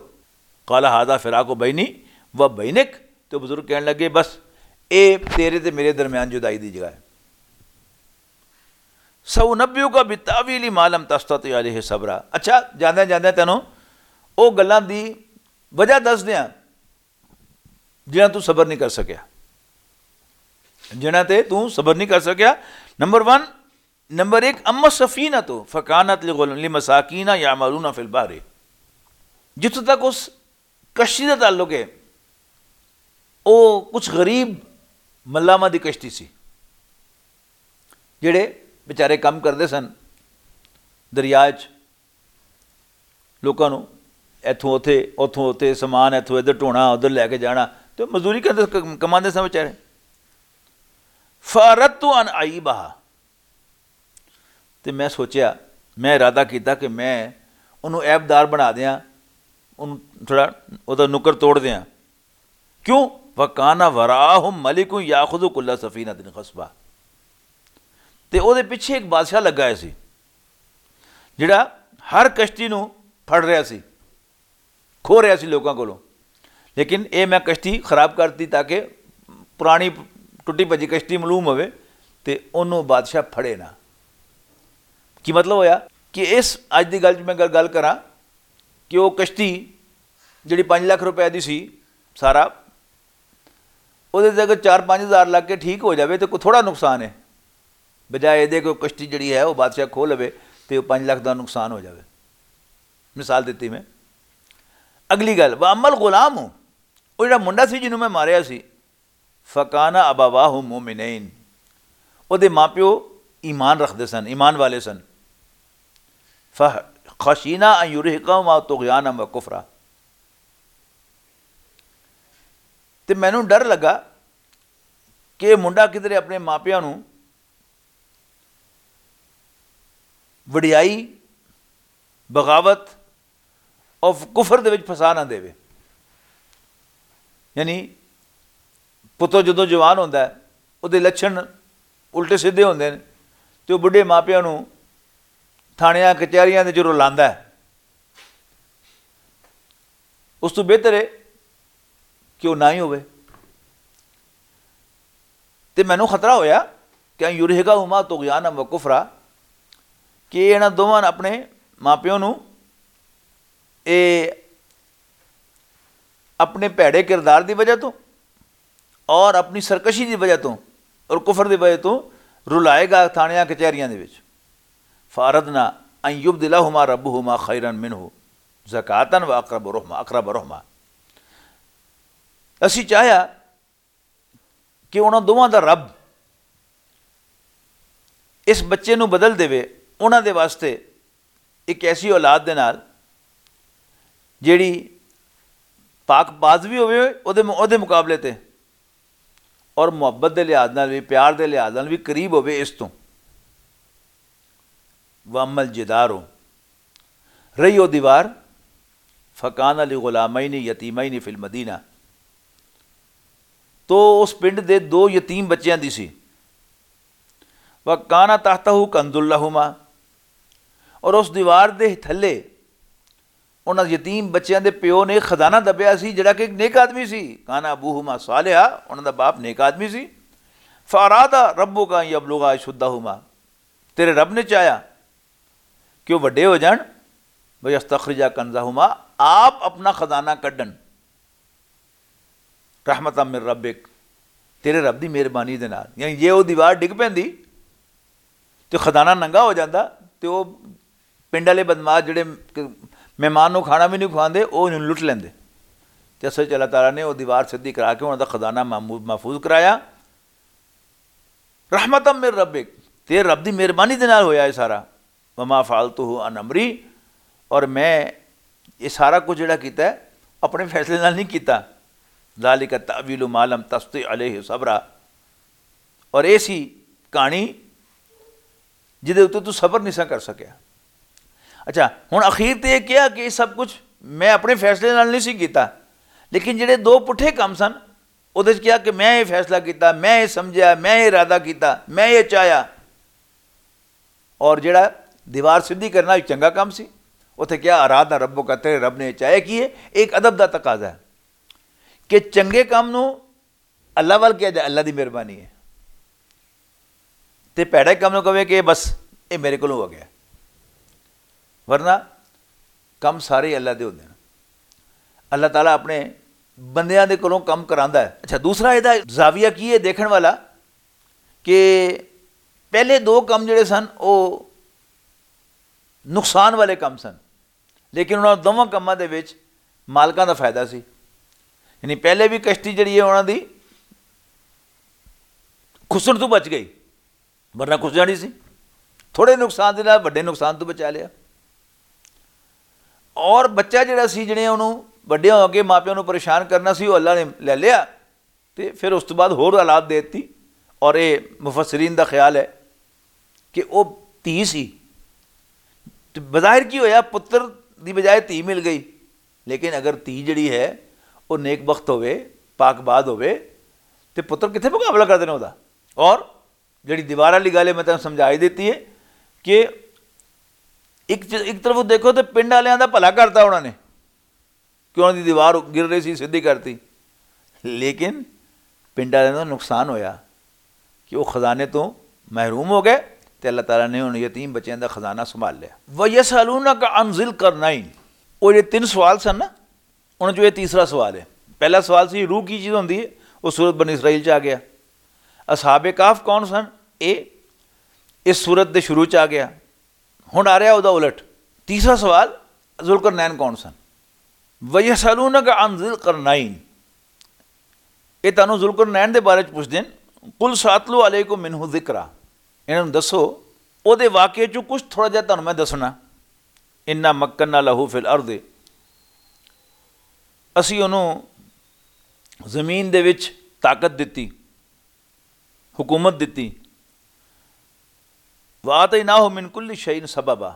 قال، ھذا فراق بینی و بینک، تے بزرگ کہن لگے، بس اے تیرے تے میرے درمیان جدائی دی جگہ ہے۔ سأنبئک بتأویل ما لم تستطع علیہ صبرا۔ اچھا، جاندے جاندے تینوں او گلاں دی وجہ دس دیاں جنہاں تو صبر نہیں کر سکیا، جنہاں تے تو صبر نہیں کر سکیا۔ نمبر ون، نمبر ایک، اما السفینۃ فکانت لغل-، لمساکین یعملون فی البحر۔ جتھوں تک اس کشتی دا تعلق ہے، او کچھ غریب ملاماں دی کشتی سی، جڑے بیچارے کم کردے سن دریا وچ، لوکاں نوں ایتھوں اوتھے، اوتھوں اوتھے، سامان ایتھوں ادھر ڈھونا، ادھر لے کے جانا، تے مزدوری کردے، کماندے سن بیچارے۔ فاردت ان اعیبہا، تے میں سوچیا، میں ارادہ کیتا کہ میں انہوں عیب دار بنا دیاں، انہوں تھوڑا اوہدا نکر توڑ دیاں۔ کیوں؟ وکان وراہم ملک یاخذ کل سفینۃ غصبا، تے اوہدے پچھے ایک بادشاہ لگا ہویا سی جڑا ہر کشتی نوں پھڑ رہیا سی، کھو رہیا سی لوکاں کولوں۔ لیکن اے میں کشتی خراب کر دتی تاکہ پرانی ٹٹی بھجی کشتی معلوم ہوئے تے انہوں بادشاہ پھڑے نہ۔ کی مطلب ہویا کہ اس اج دی گل میں اگر گل کراں کہ وہ کشتی جڑی پانچ لاکھ روپے دی سی سارا، وہ اگر چار پانچ ہزار لگ کے ٹھیک ہو جاوے تو کوئی تھوڑا نقصان ہے، بجائے یہ کہ وہ کشتی جڑی ہے وہ بادشاہ کھو لوے تو وہ پانچ لاکھ دا نقصان ہو جاوے۔ مثال دتی میں۔ اگلی گل، واما الغلام، وہ جڑا منڈا سی جنوں میں ماریا سی، فکان ابواہ مومنین، او دے ماں پیو ایمان رکھدے سن، ایمان والے سن۔ فخشینا ان یرہقہما طغیانا و کفرا، تے مینوں ڈر لگا کہ یہ منڈا کدھر اپنے ماں پیو نوں وڈیائی، بغاوت اور کفر دے وچ پھسا نہ دے۔ یعنی پتر جدوں جوان ہوندا ہے، اودے لچھن الٹے سیدھے ہوندے نے، تے او بڈھے ماپیاں نوں تھانیاں کچہریاں دے جرو لاندا ہے۔ اس تو بہتر ہے کہ وہ نہ ہی ہوئے۔ تے مینوں خطرہ ہویا کہ ان یرہقہما طغیانا و کفرا، کہ انہاں دوواں اپنے ماں پیو نوں، اے اپنے بھیڑے کردار دی وجہ تو اور اپنی سرکشی دی وجہ تو اور کفر دی وجہ تو رلائے گا تھانیاں کچہریاں دے وچ۔ فاردنا ان یبدلہما ربہما خیرا منہ زکاتا و اقرب رحما، اقرب رحما۔ اسی چاہیا کہ انہاں دوواں دا رب اس بچے نوں بدل دے، انہاں دے واسطے ایک ایسی اولاد دے نال جیڑی پاک باز بھی ہوئے، او دے او دے مقابلے تے، اور محبت دے لحاظ نال بھی، پیار دے لحاظ نال بھی قریب ہوئے اس تو۔ وامل جدارو، رہی او دیوار، فکان علی غلامین یتیمین فی المدینہ، تو اس پنڈ دے دو یتیم بچیاں دی سی۔ وکانا تحتہ کنز لہما، اور اس دیوار دے تھلے انہاں یتیم بچیاں دے پیو نے خزانہ دبیا سی، جڑا کہ ایک نیک آدمی سی۔ کانا ابوہما صالحا، انہاں دا باپ نیک آدمی سی۔ فاراد ربک ان یبلغا اشدہما، تیرے رب نے چاہیا کہ وہ وڈے ہو جان، ویستخرجا کنزہما، آپ اپنا خزانہ کڈن۔ رحمتا من ربک، تیرے رب دی مہربانی دے نال۔ یعنی جے او دیوار ڈگ پیندی تے خزانہ ننگا ہو جاندا، تے او پنڈ والے بدماش جڑے مہمان نوں کھانا بھی نہیں کھواندے، او انہوں لٹ لیندے۔ تے اصل وچ اللہ تعالیٰ نے او دیوار سدھی کرا کے انہاں دا خزانہ محمود-، محفوظ کرایا۔ رحمتا من ربک، تیرے رب دی مہربانی دے نال ہویا اے سارا۔ وما فعلتہ عن امری، اور میں یہ سارا کچھ جڑا کیتا ہے، اپنے فیصلے نال نہیں کیتا۔ ذالک تأویل ما لم تستطع علیہ صبرا، اور ایسی کہانی جدے اُتے تو صبر نہیں سا کر سکیا۔ اچھا، ہن اخیر تے یہ کہیا کہ یہ سب کچھ میں اپنے فیصلے نال نہیں سی کیتا، لیکن جڑے دو پٹھے کم سن، اودے وچ کہیا کہ میں یہ فیصلہ کیتا، میں یہ سمجھیا، میں یہ ارادہ کیتا، میں یہ چاہیا۔ اور جڑا دیوار سدھی کرنا ایک چنگا کم سی، اتھے کہیا ارادہ ربک، تیرے رب نے یہ چاہیا۔ کی ہے؟ ایک ادب دا تقاضا ہے کہ چنگے کم نو اللہ وال کہیا جائے، اللہ دی مہربانی ہے، تے پیڑے کم نو کہے کہ بس، یہ میرے کولوں ہو گیا۔ ورنہ کم سارے اللہ دے ہوندے نے۔ اللہ تعالیٰ اپنے بندیاں دے کولوں کم کراندا ہے۔ اچھا، دوسرا یہ زاویہ کی ہے دیکھن والا کہ پہلے دو کم جڑے سن، وہ نقصان والے کم سن، لیکن انہاں دوواں کماں دے وچ مالکاں دا فائدہ سی۔ یعنی پہلے بھی کشتی جڑی ہے انہاں دی کھسن تو بچ گئی، ورنہ کھس جانی سی۔ تھوڑے نقصان دے نال وڈے نقصان تو بچا لیا۔ اور بچہ جڑا سی، جڑے انہوں وڈے ہو کے ماں پیو نوں پریشان کرنا سی، وہ اللہ نے لے لیا۔ تے پھر اس تو بعد ہور حالات دے دتی۔ اور اے مفسرین دا خیال ہے کہ او دھی سی۔ تے بظاہر کی ہویا، پتر دی بجائے دھی مل گئی، لیکن اگر دھی جڑی ہے، او نیک بخت ہوئے، پاک باز ہوئے، تے پتر کتھے مقابلہ کردے نے اودا؟ اور جڑی دیوار والی گل ہے، میں تانوں سمجھائی دتی ہے کہ ایک چ-، ایک طرف دیکھو تے پنڈ والیاں دا بھلا کرتا انہاں نے، کہ انہاں دی دیوار گر رہی سی، سدھی کرتی، لیکن پنڈ والیاں دا نقصان ہویا کہ وہ خزانے تو محروم ہو گئے، تے اللہ تعالیٰ نے ان یتیم بچیاں دا خزانہ سنبھال لیا۔ وَيَسْأَلُونَكَ عَنْ ذِي الْقَرْنَيْنِ، وہ یہ تین سوال سن نا، انہاں چوں یہ تیسرا سوال ہے۔ پہلا سوال سی، روح کی چیز ہوندی ہے؟ وہ سورت بنی اسرائیل چ آ گیا۔ اصحاب کہف کون سن؟ اے اس سورت دے شروع چ آ گیا۔ ہن آ رہا اودا الٹ۔ تیسرا سوال، ذوالقرنین کون سن؟ وَيَسْأَلُونَكَ عَنْ ذِي الْقَرْنَيْنِ، یہ تانوں ذوالقرنین دے بارے چ پوچھدے نے۔ قُلْ سَأَتْلُو عَلَيْكُمْ مِنْهُ ذِكْرًا، انہاں نوں دسو، او دے واقعے چوں کچھ تھوڑا جہا تانوں میں دسنا۔ انا مکننا لہو فی الارض، اسی انہوں زمین دے وچ طاقت دتی، حکومت دتی۔ وآتیناہ من کل شیء سببا،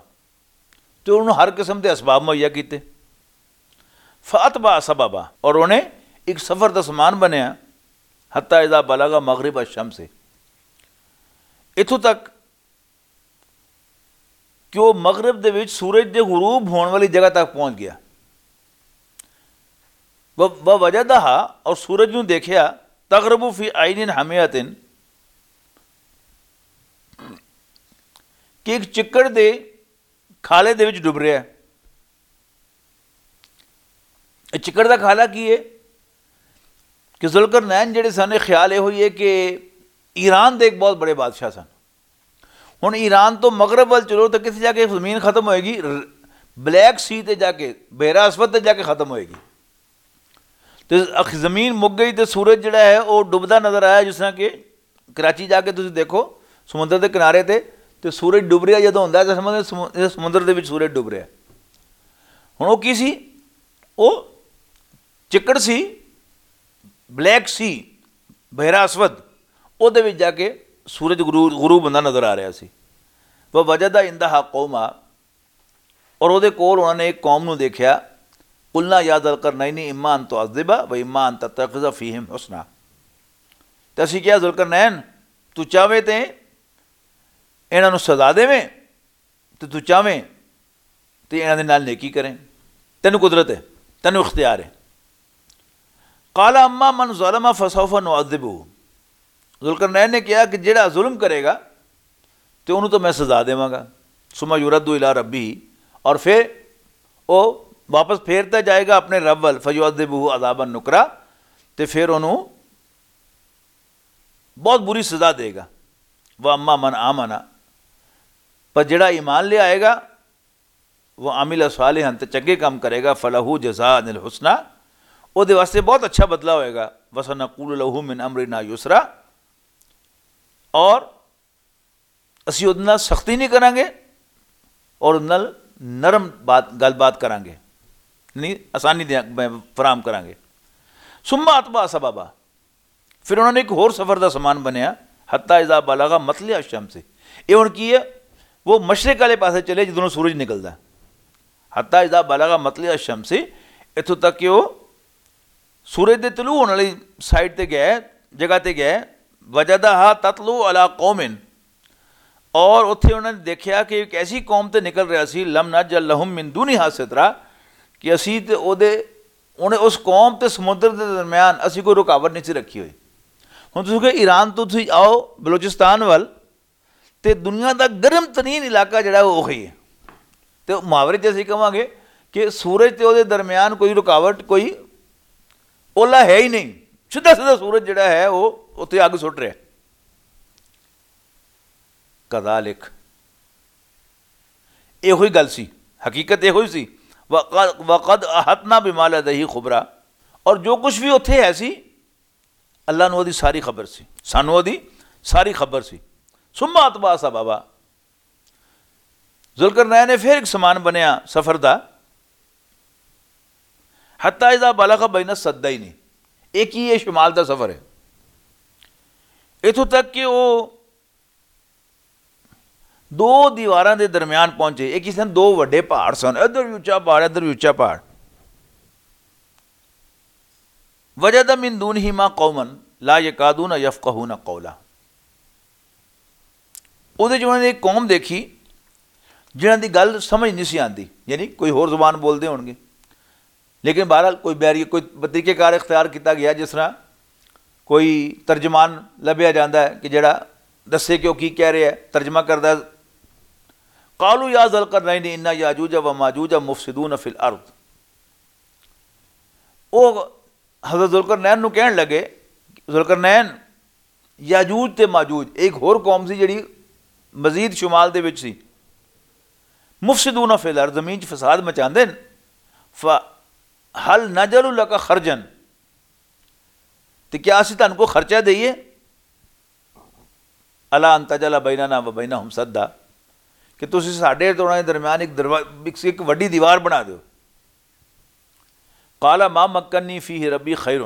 تے انہوں ہر قسم دے اسباب مہیا کیتے۔ فاتبع سببا، اور انہیں ایک سفر دا سامان بنیا۔ حتی اذا بلغ مغرب الشمس، اتھوں تک کہ وہ مغرب دے وچ سورج دے غروب ہون والی جگہ تک پہنچ گیا۔ ووجدہا، اور سورج نوں دیکھیا، تغرب فی عین حمیۃ، کہ ایک چکڑ دے کھالے دے وچ ڈب رہیا ہے۔ اے چکڑ دا کھالا کی ہے؟ کہ ذوالقرنین جڑے سن، خیال یہ ہوئی ہے کہ ایران دے ایک بہت بڑے بادشاہ سن۔ ہن ایران تو مغرب ول چلو تو کتھے جا کے زمین ختم ہوئے گی؟ بلیک سی تے جا کے، بحیرہ اسود تے جا کے ختم ہوئے گی۔ تے اخ زمین مک گئی تے سورج جڑا ہے وہ ڈبدا نظر آیا، جس طرح کہ کراچی جا کے تسی دیکھو، سمندر دے کنارے تے، تے سورج ڈب رہیا جدوں ہوندا ہے تے سمجھ سمو- سمندر دے وچ سورج ڈب رہیا۔ ہن وہ کی سی؟ وہ چکڑ سی، بلیک سی، بحیرہ اسود، وہ دے وچ جا کے سورج غرو- غروب ہوندا نظر آ رہیا سی۔ ووجد عندہا قوما، اور وہ دے کول انہوں نے ایک قوم نو دیکھیا۔ قلنا یا ذا القرنین اما ان تعذب و اما ان تتخذ فیہم حسنا۔ تے اسی کہیا، ذوالقرنین، تو چاہویں تے انہاں نوں سزا دیویں، تے تو چاہویں تے انہاں دے نال نیکی کریں۔ تینوں قدرت ہے، تینوں اختیار ہے۔ قال اما من ظلم فسوف نعذبہ۔ ذوالقرنین نے کہا کہ جڑا ظلم کرے گا تے انہوں تو میں سزا دیواں گا۔ ثم یرد الی ربہ، اور پھر وہ واپس پھیرتا جائے گا اپنے رب ول، فیعذبہ عذابا نکرا، تے پھر انہوں بہت بری سزا دے گا۔ واما من آمن، پر جڑا ایمان لے آئے گا، وہ عمل صالحا، تے چنگے کام کرے گا، فلہ جزاء الحسنی، او دے واسطے بہت اچھا بدلہ ہوئے گا۔ وسنقول لہ من امرنا یسرا، اور اسی اودے نال سختی نہیں کرانگے اور اودے نال نرم بات، گل بات کرانگے، یعنی آسانی دیا فراہم کرانگے۔ ثم اتبع سببا، پھر انہوں نے ایک ہور سفر دا سامان بنیا، حتی اذا بلغ مطلع الشمس۔ یہ ہن کی ہے؟ وہ مشرق والے پاسے چلے جدوں سورج نکلدا۔ حتی اذا بلغ مطلع الشمس، اتھوں تک کہ وہ سورج دے طلوع ہونے والی سائیڈ تے گئے، جگہ تے گئے، وجدہا تطلع علی قوم، اور اتھے انہوں نے دیکھیا کہ ایک ایسی قوم تے نکل رہا سی، لم نجعل لہم من دونہا سترا، کہ اسی تے او دے، انہیں اس قوم تے سمندر دے درمیان اسی کوئی رکاوٹ نہیں سی رکھی ہوئی۔ ہن تسی کہ ایران تو تسی آؤ بلوچستان ول، تے دنیا دا گرم ترین علاقہ جڑا ہے وہ وہی ہے۔ تے محاورے چ اسی کہواں گے کہ سورج تے او دے درمیان کوئی رکاوٹ، کوئی اولا ہے ہی نہیں، سیدھا سیدھا سورج جڑا ہے وہ اتھے اگ سٹ رہا ہے۔ کذالک، یہ ہوئی گل سی، حقیقت یہ ہوئی سی۔ وقد، وقد احطنا بما لدیہ خبرا، اور جو کچھ بھی اتھے ہے سی، اللہ نوں اودی ساری خبر سی، سانوں اودی ساری خبر سی۔ ثم اتبع سببا، ذوالقرنین نے پھر ایک سامان بنیا سفر دا، حتی اذا بلغ بین السدین، ایک ہی یہ شمال دا سفر ہے، اتھوں تک کہ وہ دو دیواراں دے درمیان پہنچے۔ ایک ہی سن، دو وڈے پہاڑ سن، ادھر بھی اچا پہاڑ، ادھر بھی اچا پہاڑ۔ وجد من دونہما قوما لا یکادون یفقہون قولا۔ اودے جو انہوں نے ایک قوم دیکھی جنہاں دی گل سمجھ نہیں سی آندی، یعنی کوئی ہور زبان بولدے ہون گے، لیکن بہرحال کوئی بیری، کوئی طریقہ کار اختیار کیتا گیا، جس طرح کوئی ترجمان لبھیا جاندا ہے کہ جڑا دسے کہ وہ کی کہہ رہا ہے، ترجمہ کردا ہے۔ قالوا یا ذا القرنین ان یاجوج و ماجوج مفسدون فی الارض۔ او حضرت ذوالقرنین نو کہن لگے، ذوالقرنین، یاجوج تے ماجوج ایک ہور قوم سی جڑی مزید شمال دے وچ سی، مفسدون فی الارض، زمین چ فساد مچاندے نے۔ فہل نجعل لک خرجا، تے کیا اسی تانوں کو خرچہ دئیے؟ الا ان تجعل بیننا و بینہم سدا، کہ تسی ساڈے تے انہاں دے درمیان ایک دروا-، ایک، ایک وڈی دیوار بنا دیو۔ قال ما مکنی فیہ ربی خیر،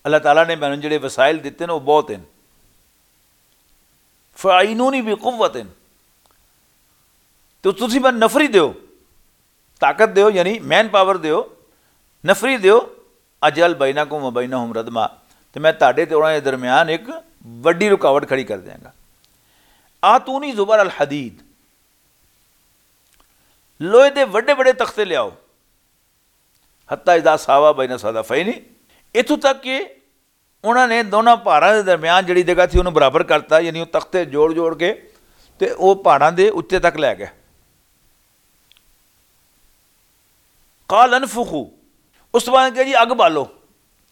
اللہ تعالیٰ نے مینوں جڑے وسائل دتے نے وہ بہت ہیں۔ فاعینونی بقوۃ، تو تسی میں نفری دیو، طاقت دیو، یعنی مین پاور دیو، نفری دیو۔ اجعل بینکم و بینہم ردما، تے میں تہاڈے تے انہاں دے درمیان ایک وڈی رکاوٹ کھڑی کر دیاں گا۔ آتونی زبر الحدید، لوہے دے وڈے وڈے تختے لیاؤ۔ حتیٰ اذا ساوا بین صدفین، اتھوں تک کہ انہاں نے دونوں پہاڑاں دے درمیان جڑی جگہ تھی، انہوں برابر کرتا، یعنی وہ تختے جوڑ جوڑ کے تے وہ پہاڑاں دے اچے تک لے گئے۔ قال انفخوا، اس بعد کہا جی، اگ بالو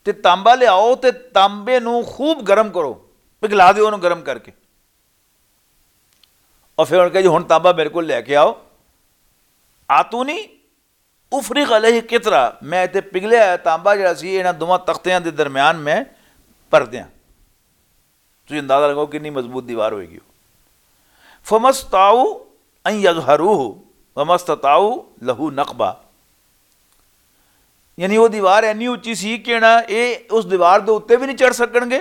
تے تانبا لے آؤ تے تانبے نو خوب گرم کرو، پگھلا دیو انہوں گرم کر کے۔ اور پھر انہوں نے کہا جی، ہن تانبا میرے کو لے کے آؤ۔ آتونی افرغ علیہ قطرہ، میں تے پگھلیا ہویا تانبا جڑا سی، انہاں دوواں تختیاں دے درمیان میں پر دیاں۔ تسی اندازہ لگاؤ کتنی مضبوط دیوار ہوئے گی۔ فمستاؤ ان یظہروہ ومستطاؤ لہو نقبہ، یعنی وہ دیوار اینی اچی سی کہ نہ اے اس دیوار دے اُتے وی نئیں چڑھ سکن گے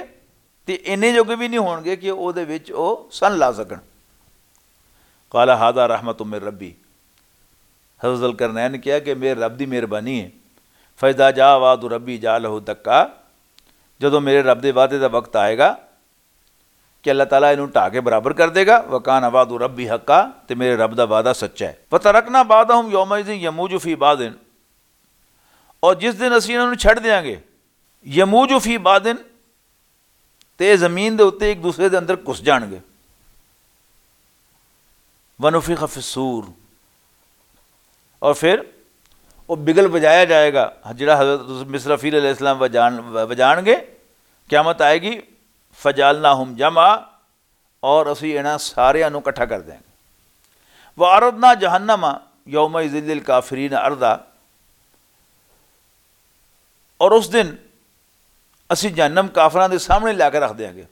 تے اینے جوگے وی نئیں ہون گے کہ او دے وچ او سن لا سکن۔ قال هذا رحمت من ربی، حضرت ذوالقرنین نے کہا کہ میرے رب دی مہربانی ہے۔ فاذا جاء وعد ربی جعلہ دکا، جدوں میرے رب دے وعدے دا وقت آئے گا کہ اللہ تعالیٰ انہوں ٹھا کے برابر کر دے گا۔ وکان وعد ربی حقا، تے میرے رب دا وعدہ سچا ہے۔ فترکنا بعضهم یومئذ یموج فی بعض، اور جس دن اسی انہوں نے چھڈ دیاں گے، یموج فی بعض، تے زمین دے اُتے ایک دوسرے دے اندر گھس جان گے۔ ونفخ فی الصور، اور پھر وہ بگل بجایا جائے گا، جڑا حضرت مصرافیل علیہ السلام وجان وجان گے۔ قیامت آئے گی۔ فجعلناہم جمعا، اور اسی انہاں ساریاں نوں اکٹھا کر دیں گے۔ وعرضنا جہنم یومئذ للکافرین عرضا، اور اس دن اسی جہنم کافراں دے سامنے لا کے رکھ دیاں گے۔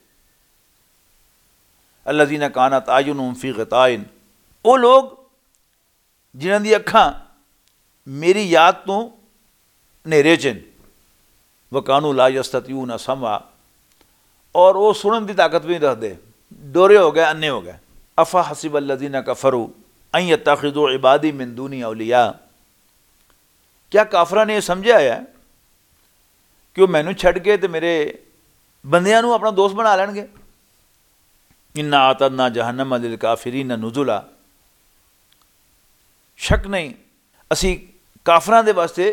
الذین کانت اعینہم فی غطاء، او لوگ جنہاں دی اکھاں میری یاد تو نیرے چن۔ وکانوا لا یستطیعون سمعا، اور وہ سنن دی طاقت بھی نہیں رکھتے، ڈورے ہو گئے، انے ہو گئے۔ افحسب الذین کفروا ان یتخذوا عبادی من دونی اولیاء، کیا کافراں نے یہ سمجھا ہے کہ وہ مینوں چھڈ کے تے میرے بندیاں نوں اپنا دوست بنا لین گے؟ انا اعتدنا جہنم للکافرین نزلا، شک نہیں، اسی کافراں دے واسطے،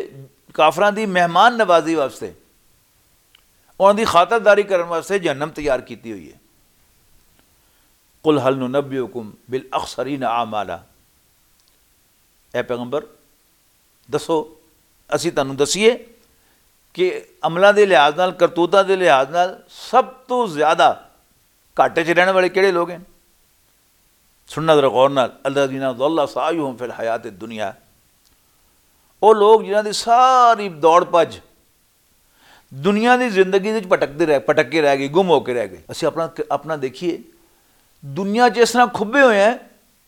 کافراں دی مہمان نوازی واسطے، انہاں دی خاطرداری کرن واسطے جہنم تیار کیتی ہوئی ہے۔ قل هل ننبئکم بالاخسرین اعمالا، اے پیغمبر، دسو، اسی تانوں دسیے کہ عملاں دے لحاظ نال، کرتوتاں دے لحاظ نال سب تو زیادہ گھاٹے چ رہن والے کہڑے لوگ ہیں؟ سننا ذرا غور نال۔ الذین ضل سعیہم فی الحیات الدنیا، او لوگ جنہاں دی ساری دوڑ پج دنیا دی زندگی وچ پٹکدے رہ پٹک کے رہ گئی، گم ہو کے رہ گئی۔ اسی اپنا اپنا دیکھیے، دنیا چ اس طرح کھبے ہوئے ہیں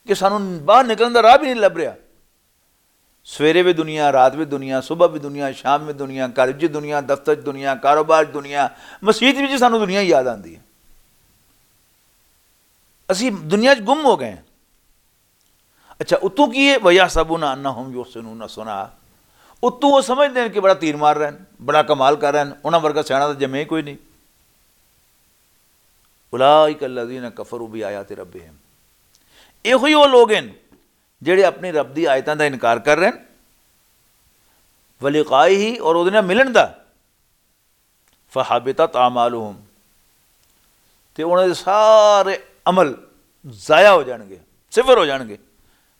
کہ سانوں باہر نکلن دا راہ بھی نہیں لب رہا۔ سویرے بھی دنیا، رات بھی دنیا، صبح بھی دنیا، شام بھی دنیا، گھر وچ دنیا، دفتر وچ دنیا، کاروبار وچ دنیا، مسیت وچ سانوں دنیا یاد آندی ہے۔ اسی دنیا چ گم ہو گئے ہیں۔ اچھا، اتوں کی ہے؟ وَيَحْسَبُونَ أَنَّهُمْ يُحْسِنُونَ صُنْعًا۔ اتوں وہ سمجھتے ہیں کہ بڑا تیر مار رہے ہیں، بڑا کمال کر رہے ہیں، انہاں ورگا سیاݨا تو جمے ہی کوئی نہیں۔ اولئک الذین کفروا بآیات ربہم، یہ ہوئی وہ لوگ ہیں جڑے اپنی رب دی آیتاں دا انکار کر رہے ہیں، ولقائہ، اور اودے نال ملن دا۔ فحبطت اعمالہم، تے انہاں دے سارے عمل ضائع ہو جان گے، صفر ہو جان گے۔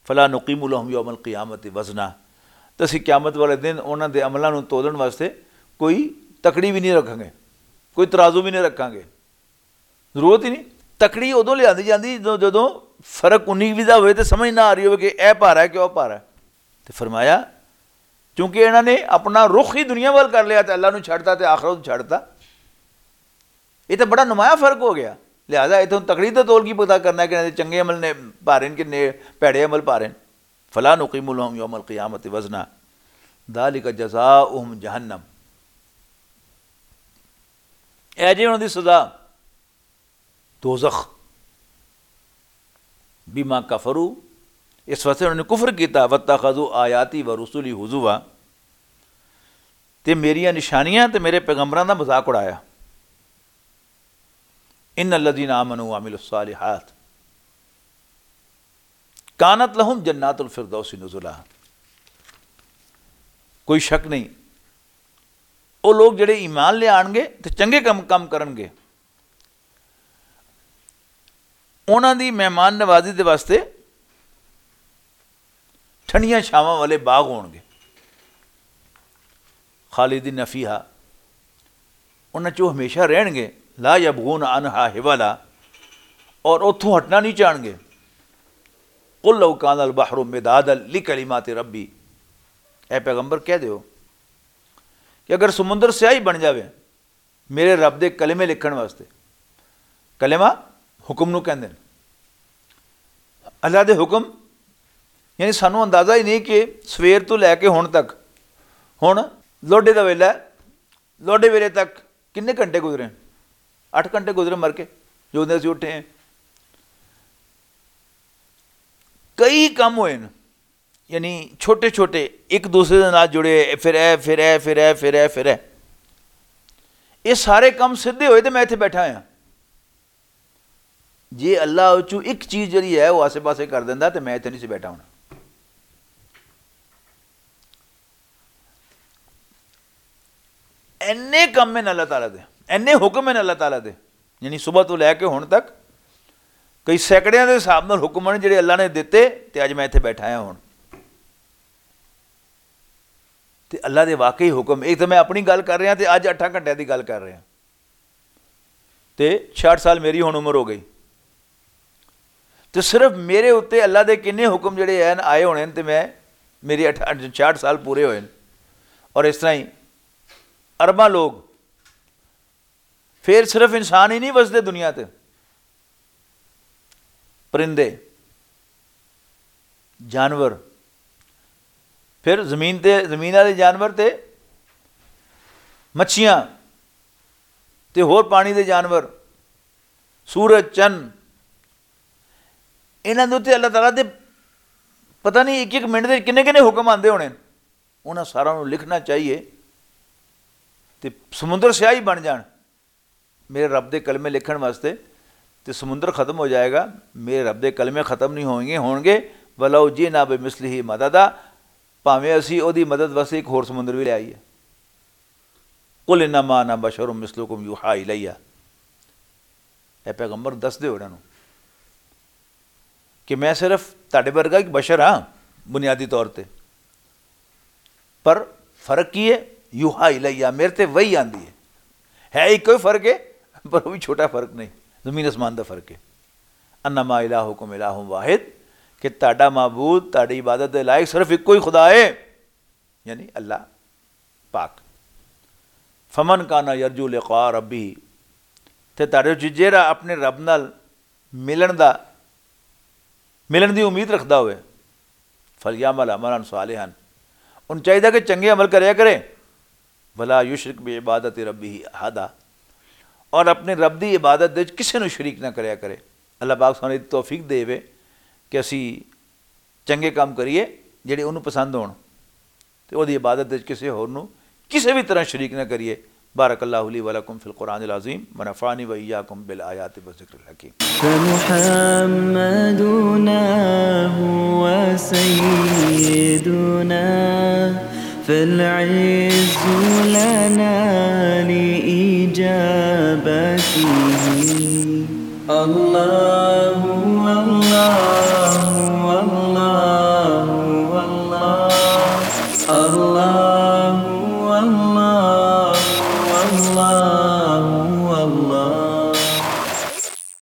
فلا نقیم لہم یوم القیامت وزنا، تے اسی قیامت والے دن انہاں دے عملاں نوں تولن واسطے کوئی تکڑی بھی نہیں رکھاں گے، کوئی ترازو بھی نہیں رکھاں گے۔ ضرورت ہی نہیں۔ تکڑی ادوں لیاندی جاندی جدوں، جدوں فرق انی ویزا ہوئے تے سمجھ نہ آ رہی ہوئے کہ اے پارا ہے کہ او پارا ہے۔ تے فرمایا، کیونکہ انہاں نے اپنا رخ ہی دنیا وال کر لیا تے اللہ نوں چھڈتا تے آخرت نوں چھڈتا۔ یہ تے بڑا نمایاں فرق ہو گیا۔ لہذا اتھوں تکڑی تے تول کی پتہ کرنا کہ انہاں دے چنگے عمل نے پارے نے کہ نے پیڑے عمل پارے نے۔ فلا نقیم لهم یوم القیامت وزنا، ذالک جزاؤہم جہنم، اے جی انہاں دی سزا دوزخ۔ بما کفروا، اس واسطے انہوں نے کفر کیتا، واتخذوا آیاتی و رسلی ہزوا، تے میریاں نشانیاں تے میرے پیغمبراں دا مذاق اڑایا۔ ان الذین آمنوا وعملوا الصالحات کانت لہم جنات الفردوس نزلا۔ کوئی شک نہیں او لوگ جڑے ایمان لے آنگے تے چنگے کم کم کرنگے، انہاں دی مہمان نوازی دے واسطے ٹھنڈیاں چھاواں والے باغ ہونگے۔ خالدین فیہا، انہاں چ او ہمیشہ رہنگے۔ لا یبغون عنہا حولا، اور اتھوں ہٹنا نہیں چاہنگے۔ قل لو کان البحر مدادا لکلمات ربی، اے پیغمبر کہہ دیو کہ اگر سمندر سیاہی بن جاوے میرے رب دے کلمے لکھن واسطے۔ کلمہ حکم نو کہندے نے۔ اللہ دے حکم، یعنی سانو اندازہ ہی نہیں کہ سویر تو لے کے ہن تک، ہن لوڈے دا ویلا ہے، لوڈے ویلے تک کنے گھنٹے گزرے؟ اٹھ گھنٹے گزرے مر کے، جو دن اسی اٹھے ہیں۔ کئی کم ہوئے نے، یعنی چھوٹے چھوٹے، ایک دوسرے دے نال جڑے، پھر اے پھر اے پھر اے پھر اے پھر اے۔ یہ سارے کم سدھے ہوئے تے میں اتنے بیٹھا ہاں۔ جے اللہ چوں ایک چیز جڑی ہے وہ آسے پاسے کر دیندا تے میں اتنے نہیں سی بیٹھا ہونا۔ اینے کم ہیں اللہ تعالیٰ دے، اینے حکم ہیں اللہ تعالیٰ دے، یعنی صبح تو لے کے ہن تک کئی سینکڑیاں دے حساب نال حکم ہیں جڑے اللہ نے دتے، تے اج میں اتھے بیٹھا ہاں ہن۔ تے اللہ دے واقعی حکم، ایک تو میں اپنی گل کر رہا تے اج اٹھاں گھنٹے دی گل کر رہا، تے چھیاٹھ سال میری ہن عمر ہو گئی۔ تے صرف میرے اُتے اللہ دے کنے حکم جڑے ہیں آئے ہونے تے میں، میری اٹھ- چھیاٹھ سال پورے ہوئے۔ اور اس طرح ہی ارباں لوگ، پھر صرف انسان ہی نہیں وسدے دنیا تے، پرندے، جانور، پھر زمین تے، زمین والے جانور تے مچھیاں تے ہور پانی دے جانور، سورج، چن، انہاں دے اُتے اللہ تعالیٰ دے پتہ نہیں ایک ایک منٹ دے کنے کنے حکم آندے ہونے۔ انہاں سارا نوں لکھنا چاہیے تے سمندر سیاہی بن جان میرے رب دے کلمے لکھن واسطے۔ تے سمندر ختم ہو جائے گا، میرے رب دے کلمے ختم نہیں ہوئیں گے، ہون گے۔ ولو جئنا بمثلہ مددا، بھاویں اسی او دی مدد واسطے ایک ہور سمندر بھی لے آئیے۔ قل انما انا بشر مثلکم یوحی الیہ۔ اے پیغمبر، دس دے انہاں نوں کہ میں صرف تہاڈے ورگا ایک بشر ہاں بنیادی طور تے، پر فرق کی ہے؟ یوحا الیہ، میرے تے وہی آندی ہے۔ ہے ایک کوئی فرق ہے، پر وہ بھی چھوٹا فرق نہیں، زمین آسمان دا فرق ہے۔ انما الہکم الہ واحد، کہ تہاڈا معبود، تہاڈی عبادت دے لائق صرف ایک کوئی خدا ہے، یعنی اللہ پاک۔ فمن کان یرجو لقاء ربہ، تے تہاڈے وچ جیڑا اپنے رب نال ملن دا، ملن دی امید رکھدا ہوئے، فلیعمل عملا صالحا، ان چاہیدا کہ چنگے عمل کریا کرے، ولا یشرک بعبادت ربہ احدا، اور اپنے رب دی عبادت دے وچ کسے نوں شریک نہ کریا کرے۔ اللہ پاک سانوں توفیق دے وے کہ اسی چنگے کام کریے جڑے انہوں پسند ہون، تے اوہدی عبادت وچ کسے ہور نوں کسے وی طرح شریک نہ کریے۔ بارک اللہ لی ولکم فی القرآن العظیم، ونفعنی و ایاکم بالآیات و ذکر الحکیم۔ فمحمدنا هو سيدنا، فالعز لنا لإجابته۔ اللہ، اللہ، اللہ، اللہ، اللہ، اللہ، اللہ۔